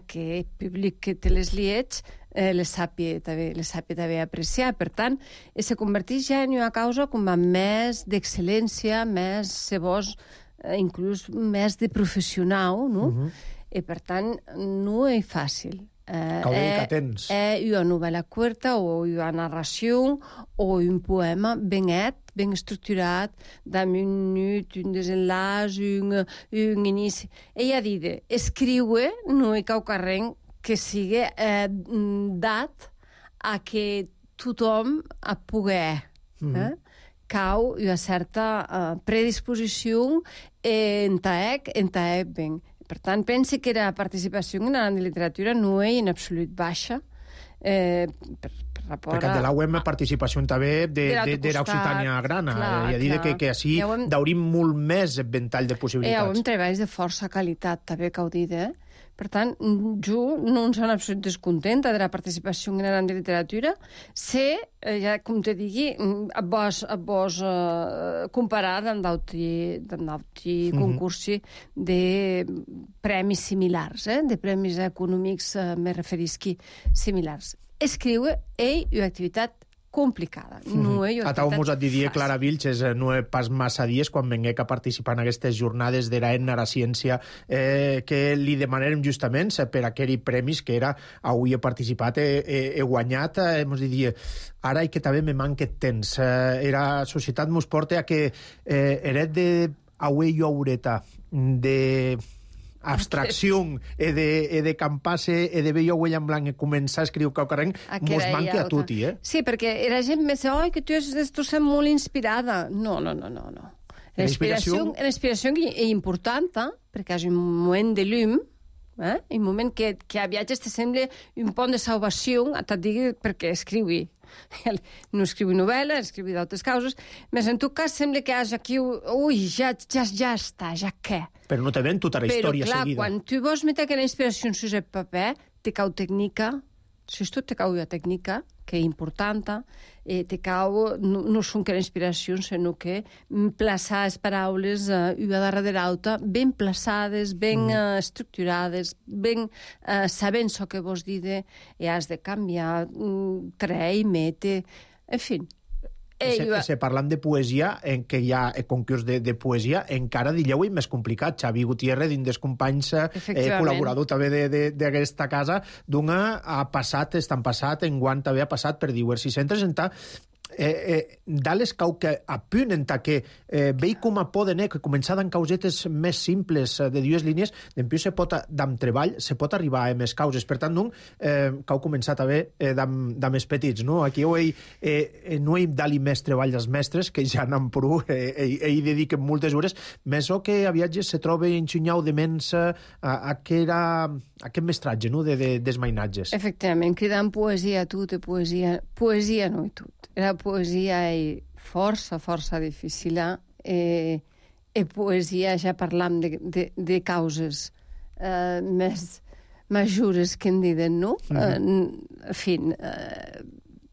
que el públic que te les liets eh, les sàpia també, les sàpia també apreciar. Per tant, se converteix ja en una causa com a més d'excel·lència, més, se vos, eh, inclús més de professional, no? Uh-huh. I per tant, no és fàcil. Eh, Cal dir eh, que tens. Eh, una novel·la curta o una narració o un poema ben net, ben estructurat, d'un minut, un desenllaç, un, un inici. Ella ha dit, escriure no hi cau carrer que sigui eh, dat a que tothom a poder. Mm-hmm. eh? Cau una certa eh, predisposició en taec, en taec ben. Per tant, pense que la participació en la literatura no és en absolut baixa, eh, per, per rapport perquè de la U E M participació també de, de, de l'Occitània grana. Clar, I a dir que, que així ja hem... daurim molt més ventall de possibilitats. Eh, hem treballs de força qualitat, també, que ho dit, eh? Per tant, jo no em sona absolut descontenta de la participació en la literatura. Sé, eh, ja com te digui, a vos, a vos eh, comparar amb d'altres mm-hmm. concursi de premis similars, eh? De premis econòmics, eh, me referisqui, similars. Escriure és una activitat complicada. No és una a tau mos activitat et diria fàcil. Clara Vilches, eh, no és pas massa dies quan venguec a participar en aquestes jornades de l'Aena a la ciència eh, que li demanarem justament per aquells premis que era avui he participat, he, he, he guanyat, eh, mos diria ara i que també me manque temps. Eh, era societat mos porta a que eh, eret de avui jo aureta de abstracció e de, e de campar-se e de veure uell en blanc i començar a escriure caucarrenc mos manque a tutti, eh? Sí, perquè la gent me diu, oi, que tu estàs molt inspirada. No, no, no, no. no. La inspiració és important, perquè és un moment de llum, eh? un moment que, que a viatges te sembla un pont de salvació, et digui perquè escriui. No escriu novel·la, escriu d'altres causes, però en tot cas sembla que és aquí, ui, ja, ja, ja està, ja què? Però no te ven tota la història seguida. Però clar, quan tu vols metre aquella inspiració en el paper, te cau tècnica, si tu te cau la tècnica, que és important, eh, te cau, no, no són que la inspiració, sinó que plaçar les paraules uh, una darrere l'altra, ben plaçades, ben mm. uh, estructurades, ben uh, sabent el que vols dir, i has de canviar, um, trei, mete, en fi. Eh, se, se parlant de poesia, en què hi ha concurs de, de poesia, encara dieu i més complicat. Xavi Gutiérrez, dins dels companys, eh, col·laborador també d'aquesta casa, d'una ha passat, estan passat, enguant també ha passat per diversos centres, en ta Eh, eh, dales cau que apunen ta que eh, vei com a poden eh, que començar d'en causetes més simples eh, de dues línies, d'empiu se pot d'am treball, se pot arribar a més causes, per tant, non, eh, cau començar també eh, d'am més petits, no? Aquí ho he, eh, no he dali més treball als mestres, que ja n'han prou, eh, eh, eh, hi dediquen moltes hores, més o que a viatges se troba enxunyau de mens a, a, a aquest mestratge, no?, de, de, dels mainatges. Efectivament, cridant poesia a tot, poesia, poesia no i tot. La poesia és força, força difícil. Eh, e poesia, ja parlam de, de, de causes eh, més majores que en diuen, no? Mm -hmm. eh, en fi, eh,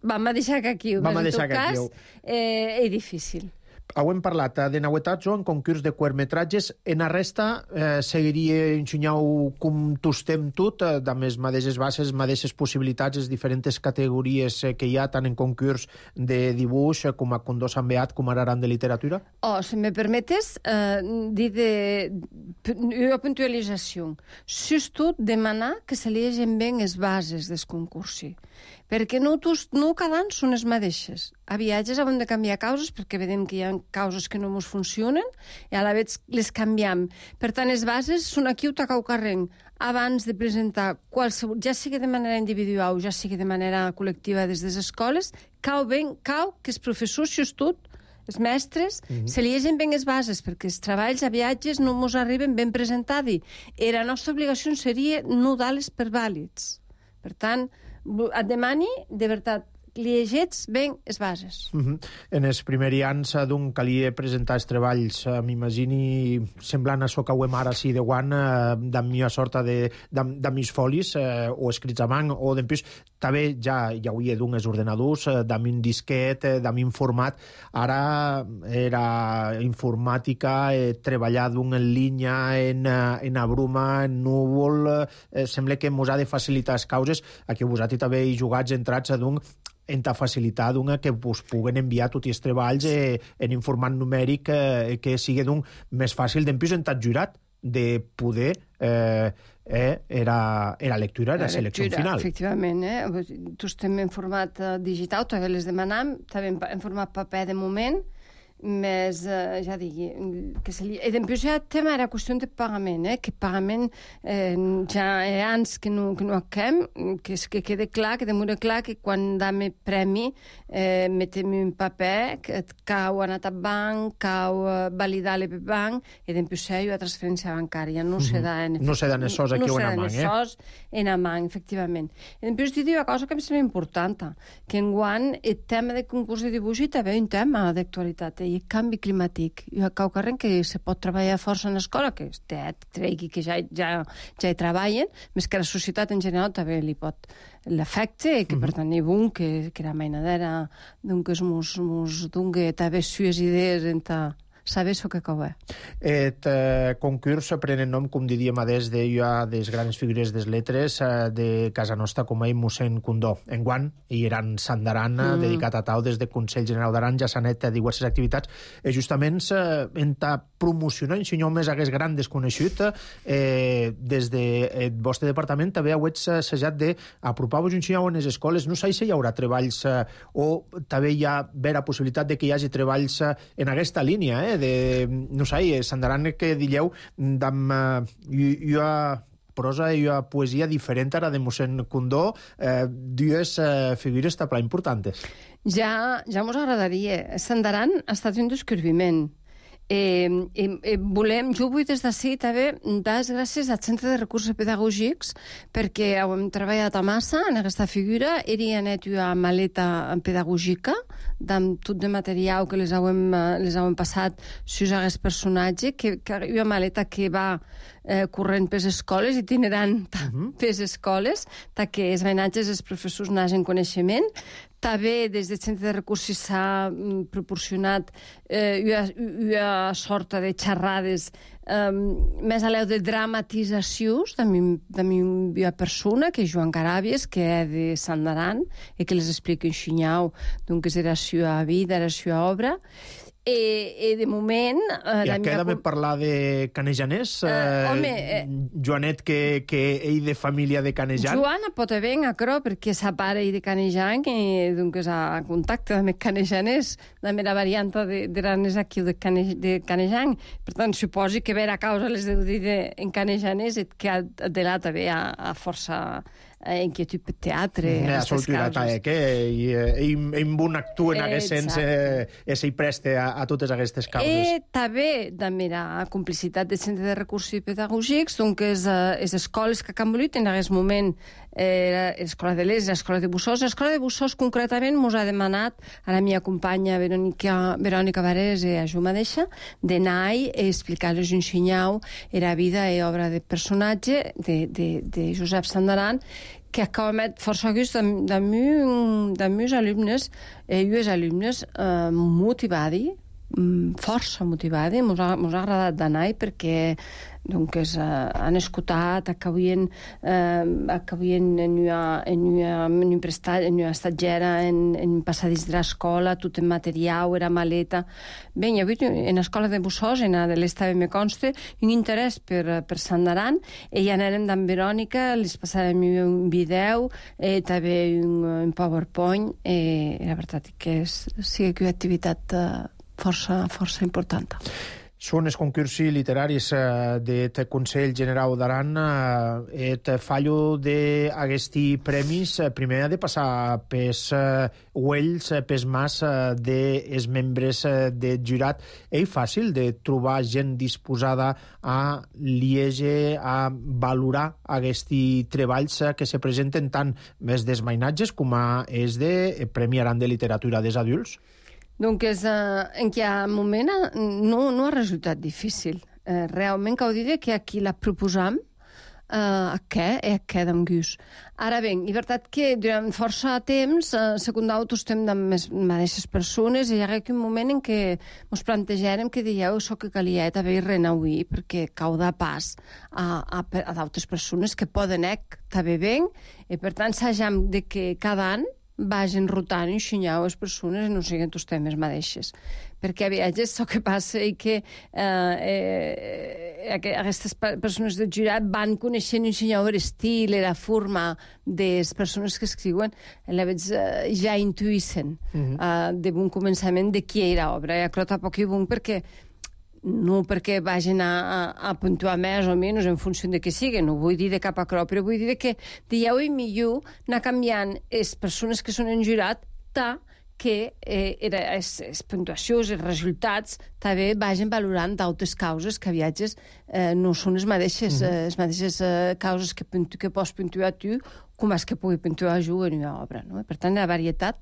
vam a deixar que aquí, vam a deixar en tot cas, eh, és difícil. Hem parlat de nauetats o en concurs de curtmetratges. En la resta eh, seguiria ensenyau com tostem tot, eh, amb les mateixes bases, mateixes possibilitats, les diferents categories eh, que hi ha, tant en concurs de dibuix eh, com a Condó Sant Beat, com ara de literatura? Oh, si me permetes, eh, dir de una puntualització. Just demanar que se llegeixen bé les bases del concurs, perquè no, no cada any són les mateixes. A viatges hem de canviar causes perquè vedem que hi ha causes que no ens funcionen i a la vegada les canviem. Per tant, les bases són aquí o tacau carrenc. Abans de presentar qualsevol, ja sigui de manera individual o ja sigui de manera col·lectiva des de les escoles, cau ben, cau que els professors, just tot, els mestres, mm -hmm. se llegeixen ben les bases, perquè els treballs a viatges no ens arriben ben presentats. I la nostra obligació seria no dar-les per vàlids. Per tant, et demani, de veritat, llegets ben les bases. Uh -huh. En els primers anys d'un calia presentar els treballs, uh, m'imagini semblant a això que ho hem ara sí de guant, uh, de mi sorta de, de, de mis folis, uh, o escrits a man, o d'empús, també ja, ja ho hi ha d'un els ordenadors, uh, de mi disquet, uh, de mi format, ara era informàtica, eh, treballar d'un en línia, en, uh, en abruma, en núvol, uh, sembla que mos ha de facilitar les causes, aquí vosaltres també hi jugats entrats a d'un en ta facilitat una que us puguen enviar tots els treballs eh, en informat numèric eh, que sigui d'un més fàcil d'empús en tot jurat de poder eh, eh, era, era lectura, era la selecció lectura, final. Efectivament, eh? Tu estem en format uh, digital, també les demanam, també en, en format paper de moment, més, eh, ja digui, que se li... I després ja el tema era qüestió de pagament, eh? Que pagament eh, ja hi ha anys que no, que no acabem, que, que quede clar, que demora clar que quan dam el premi eh, metem un paper que cau anat al banc, cau uh, validar l'E P banc, i després hi ha transferència bancària, no se da en... No se da en esos aquí no o en amant, eh? No se da en amant, efectivament. I després dir una cosa que em sembla important, que enguany el tema de concurs de dibuix també és un tema d'actualitat, i el canvi climàtic. I a Caucarren que se pot treballar força en l'escola, que té, tregui que ja, ja, ja hi treballen, més que la societat en general també li pot l'afecte, que per tant hi bon que, que la mainadera d'un que es mos, mos dongue també sues idees en ta saber això que cau. Et eh, concurs prenen nom, com diríem a des de ja des grans figures des letres eh, de casa nostra com a mossèn Condó. Enguant hi eren Sant d'Aran, mm. dedicat a tau des de Consell General d'Aran, ja s'han fet diverses activitats, eh, justament eh, en ta promocionar en senyor més hagués gran desconegut eh, des de el vostre departament també heu assajat d'apropar-vos un senyor en les escoles. No sé si hi haurà treballs eh, o també hi ha vera possibilitat de que hi hagi treballs eh, en aquesta línia, eh? eh, de, no sé, s'andaran que dilleu d'am ua prosa i ua poesia diferent ara de mossèn Condó, eh, dues eh, figures tapla importantes. Ja, ja mos agradaria. Sandaran ha estat un descobriment. Eh, eh, volem, jo vull des d'ací també dar les gràcies al Centre de Recursos Pedagògics perquè hem treballat a massa en aquesta figura. Eri anet una maleta pedagògica amb tot de material que les hem, les hem passat sus aquest personatge, que, que una maleta que va eh, corrent per les escoles, itinerant uh-huh. per les escoles, que els veïnatges els professors n'hagin coneixement. També des del Centre de Recursos s'ha mm, proporcionat eh, una, una sorta de xerrades eh, més a l'eu de dramatitzacions de una persona, que és Joan Caràbies, que és de Sandaran, i que les explica en xinyau, doncs era la seva vida, la seva obra. I, i de moment... Eh, I aquí també parlar de Canejanès, eh, eh, home, eh, Joanet, que, que ell de família de Canejan. Joana pot haver en acro, perquè sa pare de Canejan, i doncs ha contacte amb Canejanès, també la variant de, de l'anès aquí de, Cane, de Canejan. Per tant, suposi que vera causa les deu dir de, en Canejanès, que ha delat també a, a força inquietud per teatre. Ja, soltura, que ell bon actua en aquest sens i s'hi preste a, a totes aquestes causes. I també, també la complicitat del Centre de Recursos Pedagògics, doncs les, les escoles que han volit en aquest moment, eh, l'Escola de l'Est i l'Escola de Bussós. L'Escola de Bussós, concretament, ens ha demanat a la meva companya Verònica, Verònica Varés i a jo mateixa d'anar i explicar-los un xinyau la vida i obra de personatge de, de, de Josep Sandaran, que acaba met força gust de meus alumnes, i els alumnes eh, motivadi, força motivadi, ens ha, ha agradat d'anar perquè doncs, eh, han escoltat, acabien, eh, acabien en una, en una, en un prestat, en una estatgera, en, en un passadís de l'escola, tot en material, era maleta. Bé, hi ha hagut en l'escola de Bussós, en de l'est també me consta, un interès per, per Sandaran, i ja anàrem d'en Verònica, les passarem un vídeo, eh, també un, un PowerPoint, i la veritat que és, sí que una activitat eh, força, força important. Són els concursos literaris eh, del Consell Generau d'Aran. Eh, et fallo d'aquests premis, eh, primer ha de passar pels eh, uells, eh, pels mas eh, dels membres eh, del jurat. És fàcil de trobar gent disposada a lieger, a valorar aquests treballs eh, que se presenten tant més dels mainatges com a és de Premi Aran de Literatura dels adults? Doncs eh, en aquest moment no, no ha resultat difícil. Eh, realment cal dir que aquí la proposam eh, a què? I a què d'en gust. Ara bé, és veritat que durant força temps eh, secundau tots estem amb les mateixes persones i hi ha un moment en què ens plantejarem que dieu això que calia també renauir perquè cau de pas a, a, a d'altres persones que poden ec també ben i per tant s'hagem de que cada any vagin rotant i ensenyar les persones i no siguin tots temes mateixes. Perquè a vegades el que passa és que eh, eh, aquestes persones del jurat van coneixent i ensenyar l'estil i la forma de les persones que escriuen, a vegades eh, ja intuïssen uh-huh. eh, de bon començament de qui era l'obra. I això tampoc és bon perquè no perquè vagin a, a, a puntuar més o menys en funció de què sigui, no vull dir de cap a crò, però vull dir que dieu i millor anar canviant les persones que són en jurat ta que eh, les puntuacions, els resultats també vagin valorant d'altres causes que a viatges eh, no són les mateixes, mm-hmm. eh, les mateixes eh, causes que, que pots puntuar tu com és que pugui puntuar jo en una obra. No? Per tant, la varietat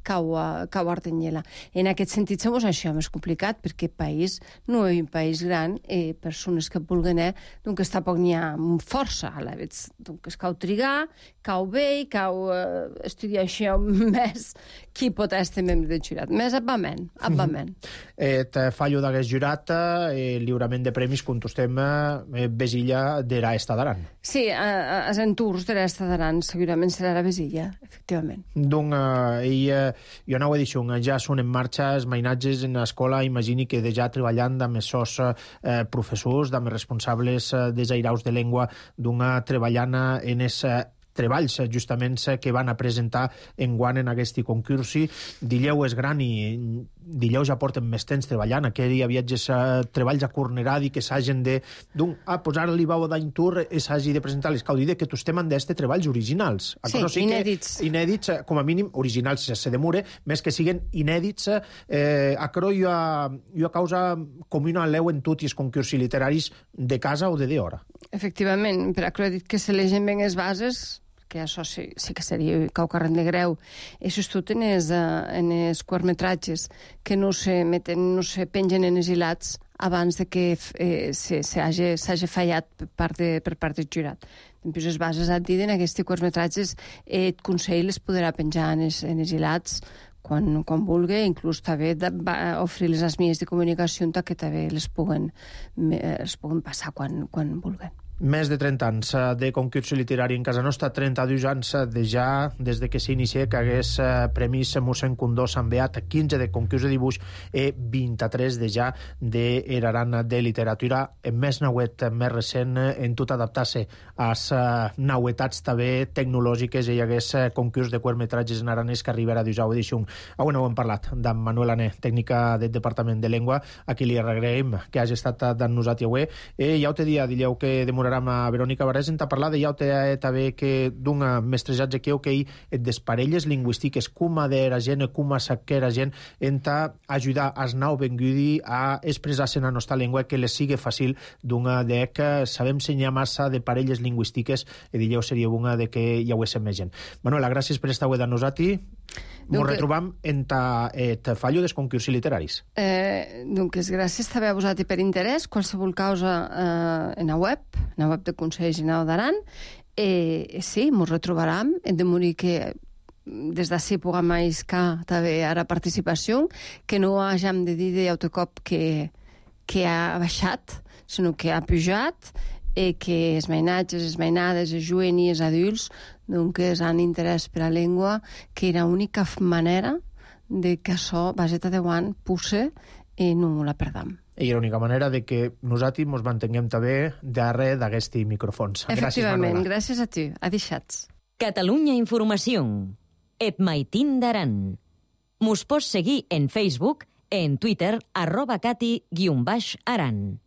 cau a, cau a Artanyela. En aquest sentit, sembla això més complicat, perquè el país no és un país gran i persones que vulguen eh, doncs tampoc n'hi ha força a la vegada. Doncs cau trigar, cau bé, cau eh, estudiar això més qui pot estar membre del jurat. Més abament, abament. Et fallo d'aquest jurat, eh, lliurament de premis, contestem eh, Besilla de l'Esta d'Aran. Sí, els entours de l'Esta d'Aran segurament serà la Besilla, efectivament. Donc, eh, ell jo no ho he dit, ja són en marxa els mainatges en l'escola, imagini que ja treballant amb els seus eh, professors, amb els responsables eh, dels airaus de llengua, d'una treballant en els treballs justament que van a presentar enguant en aquest concursi. Dilleu és gran i Dilleu ja porten més temps treballant. Aquell hi havia treballs a Corneradi que s'hagin de... d'un, ah, pues ara li vau dar un tour i s'hagi de presentar les caudide que tu estem en d'este treballs originals. Sí, o sigui inèdits. Inèdits, com a mínim, originals se demure, més que siguen inèdits. Eh, aquero jo a, jo a causa com una leu en tots els concursos literaris de casa o de d'hora. Efectivament, per aquero he dit que s'elegen ben les bases, que això sí, sí que seria caucarren de greu. Això és tot en els, en els curtmetratges que no se meten, no se pengen en els hilats abans de que eh, s'hagi fallat per part, de, per part del jurat. Després les bases et diuen aquests curtmetratges eh, et consell les podrà penjar en els, en els hilats quan, quan vulgui, inclús també oferir les vies de comunicació que també les puguen, les puguen passar quan, quan vulguen. Més de trenta anys de concurs literari en casa nostra, trenta-dos anys de ja des de que s'inicia que hagués premis mossèn Condó Sant Beat, quinze de concurs de dibuix i vint-i-tres de ja d'Eraran de literatura. En més nauet, més recent, en tot adaptar-se a les nauetats també tecnològiques i hi hagués concurs de curtmetratges en aranès que arribarà a dijous edició. Avui no ho hem parlat d'en Manuel Ané, tècnica del Departament de Llengua, a qui li agraïm que hagi estat d'en nosaltres avui. I ja ho te dia, dilleu que demorarà a Verònica Barrés en parlar de ja també que d'un mestrejatge que que et desparelles lingüístiques com a d'era gent, com a saquera gent en ajudar als nou vengudi a expressar-se en la nostra llengua que les sigui fàcil d'una de que sabem ensenyar massa de parelles lingüístiques i dilleu seria una de que hi haguéssim més gent. Manuela, gràcies per estar avui de nosaltres. Ens retrobam en et fallo dels concursos literaris. Eh, doncs gràcies també a vosaltres per interès. Qualsevol causa eh, en la web, en la web del Consell Generau d'Aran. Eh, sí, ens retrobaram. Hem de morir que des d'ací puguem aiscar també ara participació, que no hàgim de dir d'autocop que, que ha baixat, sinó que ha pujat, i que els mainatges, les mainades, els jovents i els adults doncs han interès per la llengua, que era l'única manera de que això vagi endavant, pusse i no la perdam. I era l'única manera de que nosaltres ens mantinguem també darrere d'aquests micròfons. Efectivament, gràcies a tu. Adixats. Catalunya Informació. Et maitin d'Aran. Mos pots seguir en Facebook, en Twitter, arroba cati guion baix aran.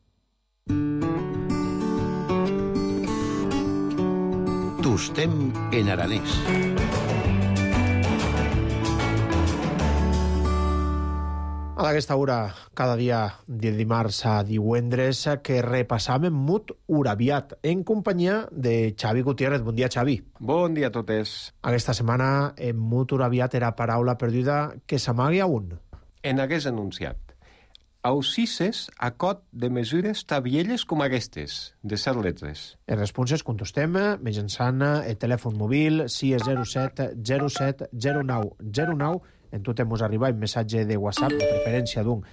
Tostem en aranès. A aquesta hora, cada dia de dimarts a divendres, que repassam Mut Urabiat, en companyia de Xavi Gutiérrez. Bon dia, Xavi. Bon dia a totes. Aquesta setmana, en Mut Urabiat era paraula perduda que s'amagui a un. En hagués anunciat. Ausises a cot de mesures tabielles com aquestes, de set letres. En responses contestem mitjançant el telèfon mòbil sis zero set zero set zero nou zero nou. En tot mos arriba un missatge de WhatsApp, de preferència d'un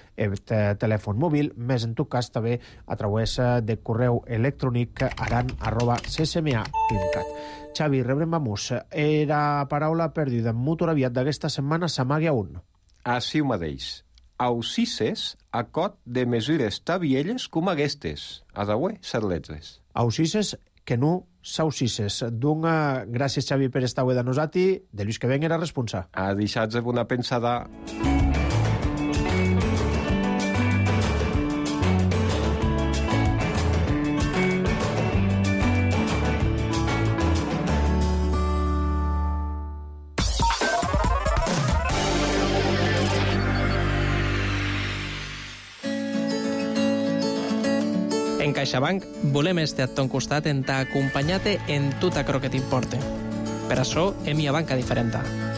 telèfon mòbil, més en tot cas també a través de correu electrònic aran arroba csma punt cat. Xavi, rebrem a mus. Era paraula perduda en Mut Urabiat d'aquesta setmana s'amagui a un. Així ho mateix. Ausises a cot de mesures tabielles com aquestes. A d'avui, set letres. Ausises que no s'ausises. Doncs gràcies, Xavi, per estar avui de nosaltres. De Lluís que ven era responsable. A deixats de bona pensada. En CaixaBank volem estar a ton costat en t'acompanyar-te en tot allò que t'importa. Per això hem una banca diferent,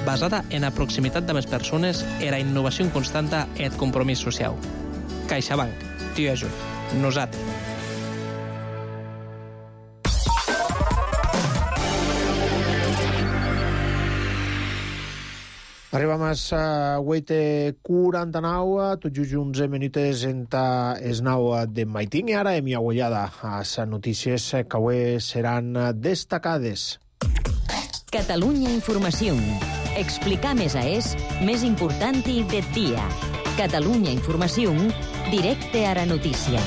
basada en la proximitat de les persones, en la innovació constanta i el compromís social. CaixaBank, t'hi ajuda. Nosaltres. Arribam a vuit i quaranta-nou, tot just onze minuts entre les nou de maitín, i ara hem agullada a les notícies que avui seran destacades. Catalunya Informació. Explicar més a és més important del dia. Catalunya Informació, directe a la notícia.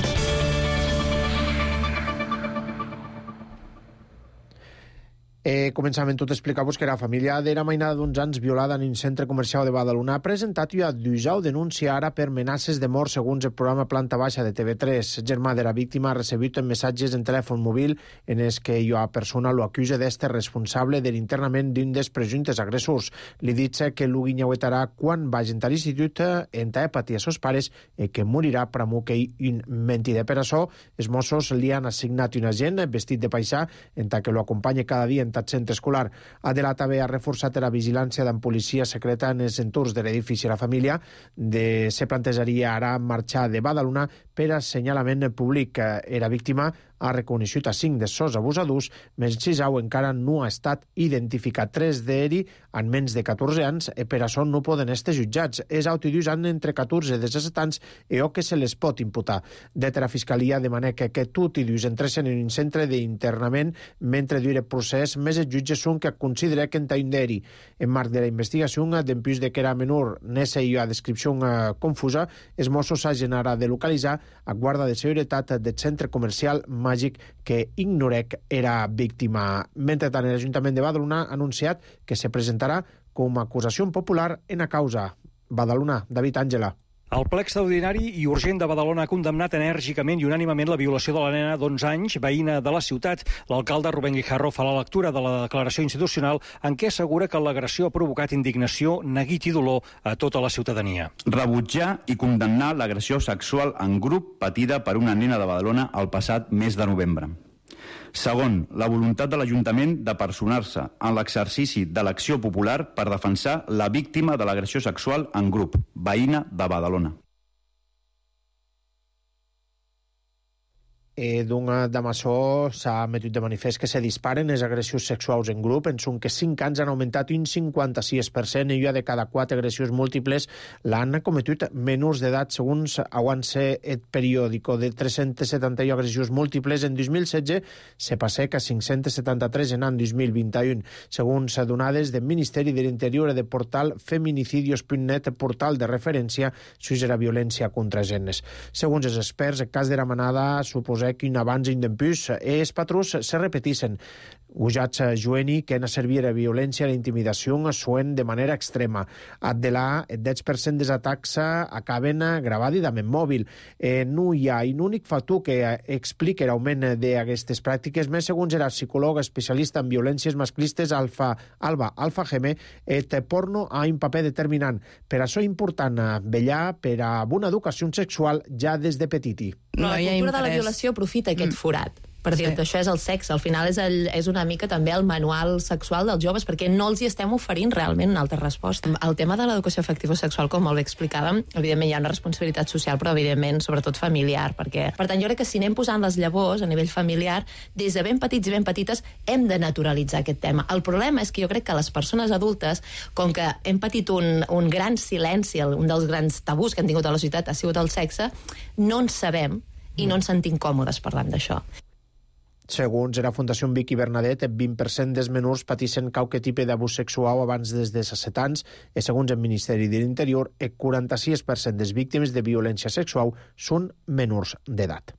Eh, començament tot explicar-vos que la família d'era mainada d'uns anys violada en un centre comercial de Badalona ha presentat i ha d'usar denúncia ara per amenaces de mort segons el programa Planta Baixa de T V tres. El germà de la víctima ha recebut missatges en telèfon mòbil en els que la persona lo acusa d'este responsable de l'internament d'un dels presumptes agressors. Li dit que lo guinyauetarà quan vagi a l'institut en ta patir a sos pares i que morirà per amor que un mentider. Per això, els Mossos li han assignat un agent vestit de paisà en ta que lo acompanya cada dia en tal centre escolar. Adela també ha reforçat la vigilància d'en policia secreta en els entorns de l'edifici. La família de se plantejaria ara marxar de Badalona per assenyalament públic. Era víctima ha reconeixut a cinc dels seus abusadors, més Xisau encara no ha estat identificat. Tres d'ells en menys de catorze anys i per això no poden estar jutjats. És autodus han entre catorze i disset anys i o que se les pot imputar. Det la Fiscalia demana que aquest autodus entressin en un centre d'internament mentre dure el procés, més els jutges són que considera que en ta un d'eri. En marc de la investigació, d'empús de que era menor, n'essa i a descripció confusa, els Mossos hagin ara de localitzar a guarda de seguretat del centre comercial Màgic que ignorec era víctima. Mentrestant, l'Ajuntament de Badalona ha anunciat que se presentarà com a acusació popular en la causa. Badalona, David Àngela. El ple extraordinari i urgent de Badalona ha condemnat enèrgicament i unànimament la violació de la nena d'onze anys, veïna de la ciutat. L'alcalde Rubén Guijarro fa la lectura de la declaració institucional en què assegura que l'agressió ha provocat indignació, neguit i dolor a tota la ciutadania. Rebutjar i condemnar l'agressió sexual en grup patida per una nena de Badalona el passat mes de novembre. Segon, la voluntat de l'Ajuntament de personar-se en l'exercici de l'acció popular per defensar la víctima de l'agressió sexual en grup, veïna de Badalona. Eh, D'una d'Amassó s'ha metut de manifest que se disparen les agressions sexuals en grup. En són que cinc anys han augmentat un cinquanta-sis per cent i ja de cada quatre agressions múltiples l'han cometut menors d'edat, segons avance el periòdico. De tres-centes setanta-u agressions múltiples en dos mil setze se passa a cinc-centes setanta-tres en any dos mil vint-i-u, segons donades del Ministeri de l'Interior i del portal feminicidios punt net, portal de referència sobre la violència contra gens. Segons els experts, el cas de la manada suposa que un abans i un d'empús i els patrons se repeteixen. Usats jueni que en servir a violència i intimidació suen de manera extrema. De la, el deu per cent dels atacs acaben gravadament mòbil. Eh, no hi ha un únic factor que explica l'augment d'aquestes pràctiques, més segons era psicòleg especialista en violències masclistes Alfa, Alba Alfa Geme, el porno ha un paper determinant. Per això és important vetllar per a una educació sexual ja des de petiti. No, la cultura de la violació aprofita aquest forat. Per dir-te, sí. Això és el sexe. Al final és, el, és una mica també el manual sexual dels joves, perquè no els hi estem oferint realment una altra resposta. El tema de l'educació afectivo-sexual, com molt bé explicàvem, evidentment hi ha una responsabilitat social, però evidentment sobretot familiar. Perquè, per tant, jo crec que si anem posant les llavors a nivell familiar, des de ben petits i ben petites hem de naturalitzar aquest tema. El problema és que jo crec que les persones adultes, com que hem patit un, un gran silenci, un dels grans tabús que hem tingut a la societat ha sigut el sexe, no en sabem i no ens sentim còmodes parlant d'això. Segons la Fundació Vicky Bernadet, el vint per cent dels menors pateixen qualque tipus d'abús sexual abans des de disset anys i segons el Ministeri de l'Interior, el quaranta-sis per cent dels víctimes de violència sexual són menors d'edat.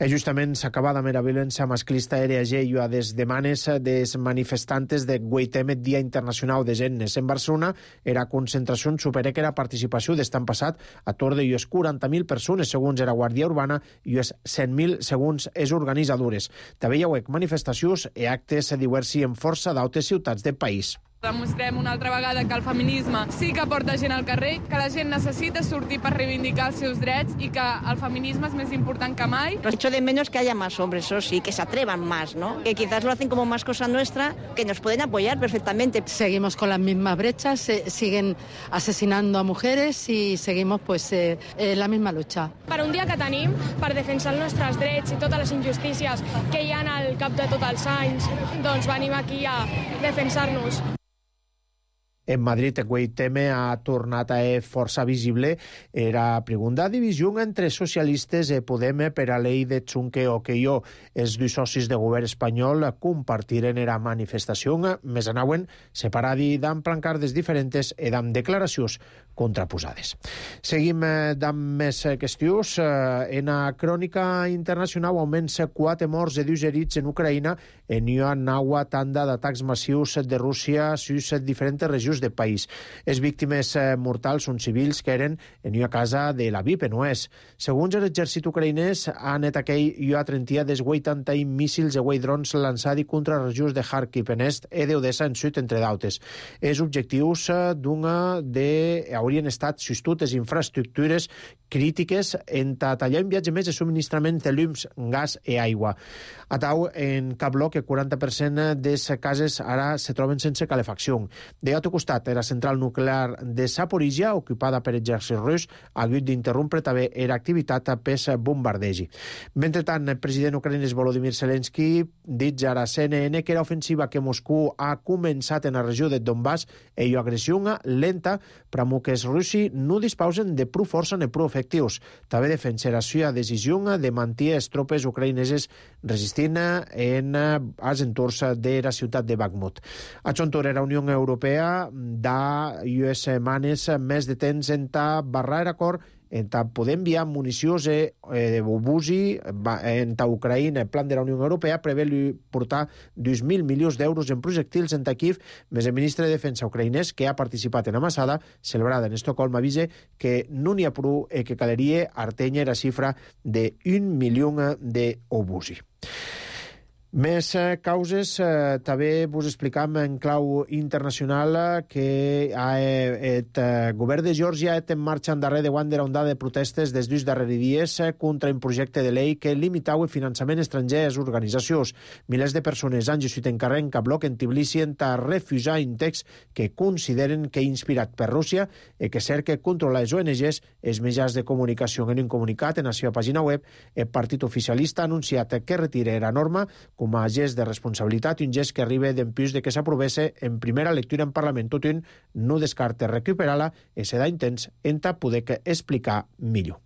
I justament s'acaba amb la violència masclista a i a les demanes dels manifestantes de Guaitem, el Dia Internacional de Gennes. En Barcelona, era concentració supera que la participació d'estan passat a tor de quaranta mil persones, segons la Guàrdia Urbana, i cent mil segons els organitzadores. També hi ha manifestacions i actes diversos en força d'altres ciutats del país. Demostrem una altra vegada que el feminisme sí que porta gent al carrer, que la gent necesita sortir per reivindicar els seus drets y que el feminisme es més important que mai. Echo de menos que haya más hombres, eso sí, que se atrevan más, ¿no? Que quizás lo hacen como más cosa nuestra, que nos pueden apoyar perfectamente. Seguimos con las mismas brechas, se siguen asesinando a mujeres y seguimos pues eh, eh, la misma lucha. Per un dia que tenim per defensar els nostres drets i totes les injustícies que hi ha al cap de tots els anys, doncs venim aquí a defensar-nos. En Madrid, aquell tema ha tornat a ser força visible. Era segunda divisió entre socialistes i Podem per a llei de Chunque o que jo. Els dos socis de govern espanyol compartiren era manifestació. Més anaven separadi d'am plancardes diferents i d'am declaracions contraposades. Seguim d'am més qüestions. En la crònica internacional augments quatre morts i dos herits en Ucraïna en una nova tanda d'atacs massius de Rússia sus diferents regions del país. Les víctimes mortals són civils que eren en una casa de l'Aviv, en oest. Segons l'exèrcit ucraïnès, han aquell una trenta des vuitanta míssils i drons lançats contra regions de Kharkiv en est i d'Odessa en sud, entre d'altres. Els objectius d'una de haurien estat sostutes infraestructures crítiques en tallar un viatge més de subministrament de llums, gas i aigua. A tau, en cap bloc, el quaranta per cent de les cases ara se troben sense calefacció. De l'altre costat, la central nuclear de Zaporizhia, ocupada per exèrcit rus, ha hagut d'interrompre també era activitat per bombardegi. Mentrestant, el president ucraïnès Volodymyr Zelensky dit a la C N N que l'ofensiva que Moscou ha començat en la regió de Donbass és una agressió lenta, però que els russi no disposen de prou força ni prou efectius. També defensa la seva decisió de mantenir les tropes ucraïneses resistint en els entorns de la ciutat de Bakhmut. A Chontor, la Unió Europea da unes setmanes més de temps en ta barrar acord en ta poder enviar municions de obusi en ta Ucraïna. El plan de la Unió Europea prevé portar dos mil milions d'euros en projectils en ta Kiev, més el ministre de Defensa ucraïnès, que ha participat en amassada celebrada en Estocolm, avisa que no n'hi ha prou i que caleria artenya la xifra d'un milió d'obusi. Més eh, causes, eh, també vos explicam en clau internacional eh, que el eh, govern de Geòrgia ha en marxa en darrer de guant de la ondada de protestes des dos darrers dies eh, contra un projecte de llei que limitau el finançament estranger a les organitzacions. Milers de persones han gesut en carrer en cap bloc en Tbilisi en a refusar un text que consideren que inspirat per Rússia i que cerca controlar les O N Ges, els mitjans de comunicació. En un comunicat en la seva pàgina web, el partit oficialista ha anunciat que retira la norma com a gest de responsabilitat i un gest que arriba d'empús de que s'aprovesse en primera lectura en Parlament. Tot un no descarta recuperar-la i se da intents en ta poder explicar millor.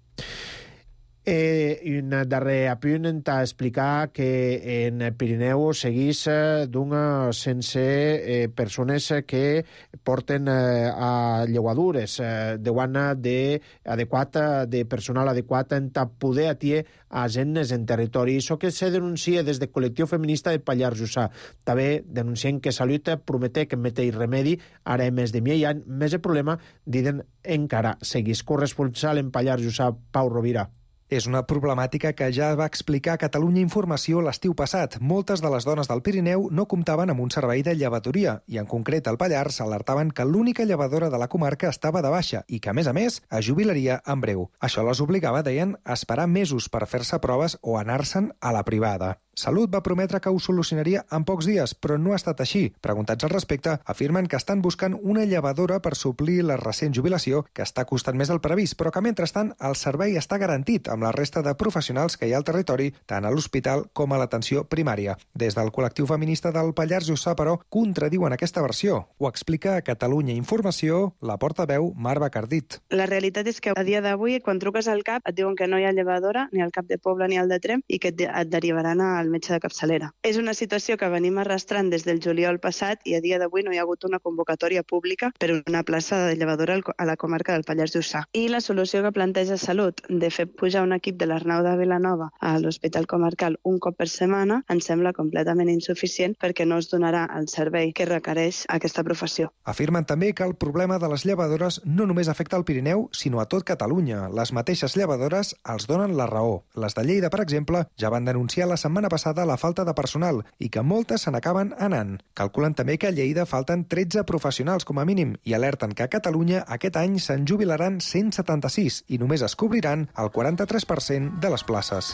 Eh, un darrer apunt en ta explicar que en Pirineu seguís eh, d'una sense eh, persones que porten eh, a llevadures eh, de guana de adequat, de personal adequat en ta poder atier a gent en territori. Això que se denuncia des del col·lectiu feminista de Pallars Jussà. També denuncien que Salut promete que mete remedi ara més de mi any, més el problema, diuen, encara seguís. Corresponsal en Pallars Jussà, Pau Rovira. És una problemàtica que ja va explicar Catalunya Informació l'estiu passat. Moltes de les dones del Pirineu no comptaven amb un servei de llevadoria i, en concret, al Pallars alertaven que l'única llevadora de la comarca estava de baixa i que, a més a més, es jubilaria en breu. Això les obligava, deien, a esperar mesos per fer-se proves o anar-se'n a la privada. Salut va prometre que ho solucionaria en pocs dies, però no ha estat així. Preguntats al respecte, afirmen que estan buscant una llevadora per suplir la recent jubilació, que està costant més del previst, però que, mentrestant, el servei està garantit amb la resta de professionals que hi ha al territori, tant a l'hospital com a l'atenció primària. Des del col·lectiu feminista del Pallars Jussà, però, contradiuen aquesta versió. Ho explica a Catalunya Informació la portaveu Mar Bacardit. La realitat és que a dia d'avui, quan truques al CAP, et diuen que no hi ha llevadora, ni al CAP de Poble ni al de Tremp, i que et, et derivaran al metge de capçalera. És una situació que venim arrastrant des del juliol passat i a dia d'avui no hi ha hagut una convocatòria pública per una plaça de llevadora a la comarca del Pallars Jussà. I la solució que planteja Salut de fer pujar un equip de l'Arnau de Vilanova a l'Hospital Comarcal un cop per setmana ens sembla completament insuficient perquè no es donarà el servei que requereix aquesta professió. Afirmen també que el problema de les llevadores no només afecta al Pirineu, sinó a tot Catalunya. Les mateixes llevadores els donen la raó. Les de Lleida, per exemple, ja van denunciar la setmana passada la falta de personal i que moltes se n'acaben anant. Calculen també que a Lleida falten tretze professionals com a mínim i alerten que a Catalunya aquest any se'n jubilaran cent setanta-sis i només es cobriran el quaranta-tres per cent de les places.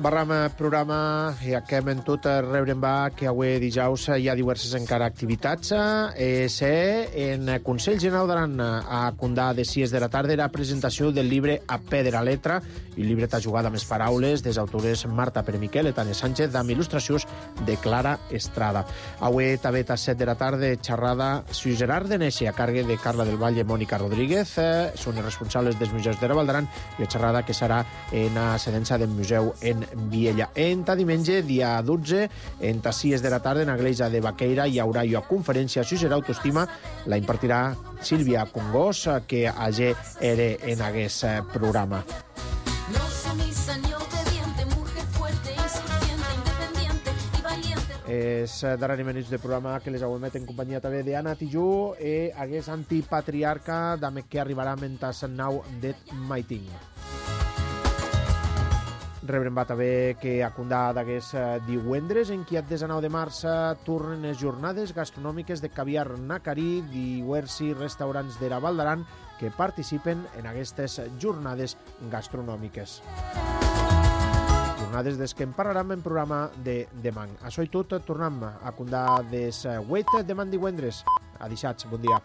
Barram programa i acabem en tot rebrem va que avui dijous hi ha diverses encara activitats. Eh, se en Consell General d'Aran a Condà de sis de la tarda era presentació del llibre A Pedra Letra, i el llibre t'ha jugat amb les paraules des autores Marta Peremiquel i Tania Sánchez amb il·lustracions de Clara Estrada. Avui també a set de la tarda xerrada Sui Gerard de Neixi a càrrec de Carla del Valle i Mònica Rodríguez. Eh, són els responsables dels museus de Raval d'Aran i la xerrada que serà en la sedença del museu en Viella. Enta diumenge, dia dotze, enta sis de la tarda, en l'església de Baqueira hi haurà una conferència sobre autoestima. La impartirà Sílvia Congós, que allà era en aquest programa. És darrere minuts de programa que les aguemet en companyia també d'Anna Tijú i hagués antipatriarca d'ame que arribarà mentre nau det maiting. Rebrem va també que a Condà d'aquests divendres, en qui a desenau de març tornen les jornades gastronòmiques de caviar nacarí, diversos restaurants de Raval d'Aran que participen en aquestes jornades gastronòmiques. Jornades des que en parlarem en programa de demà. Això i tot, tornem a Condà des vuit demà divendres. Adixats, bon dia.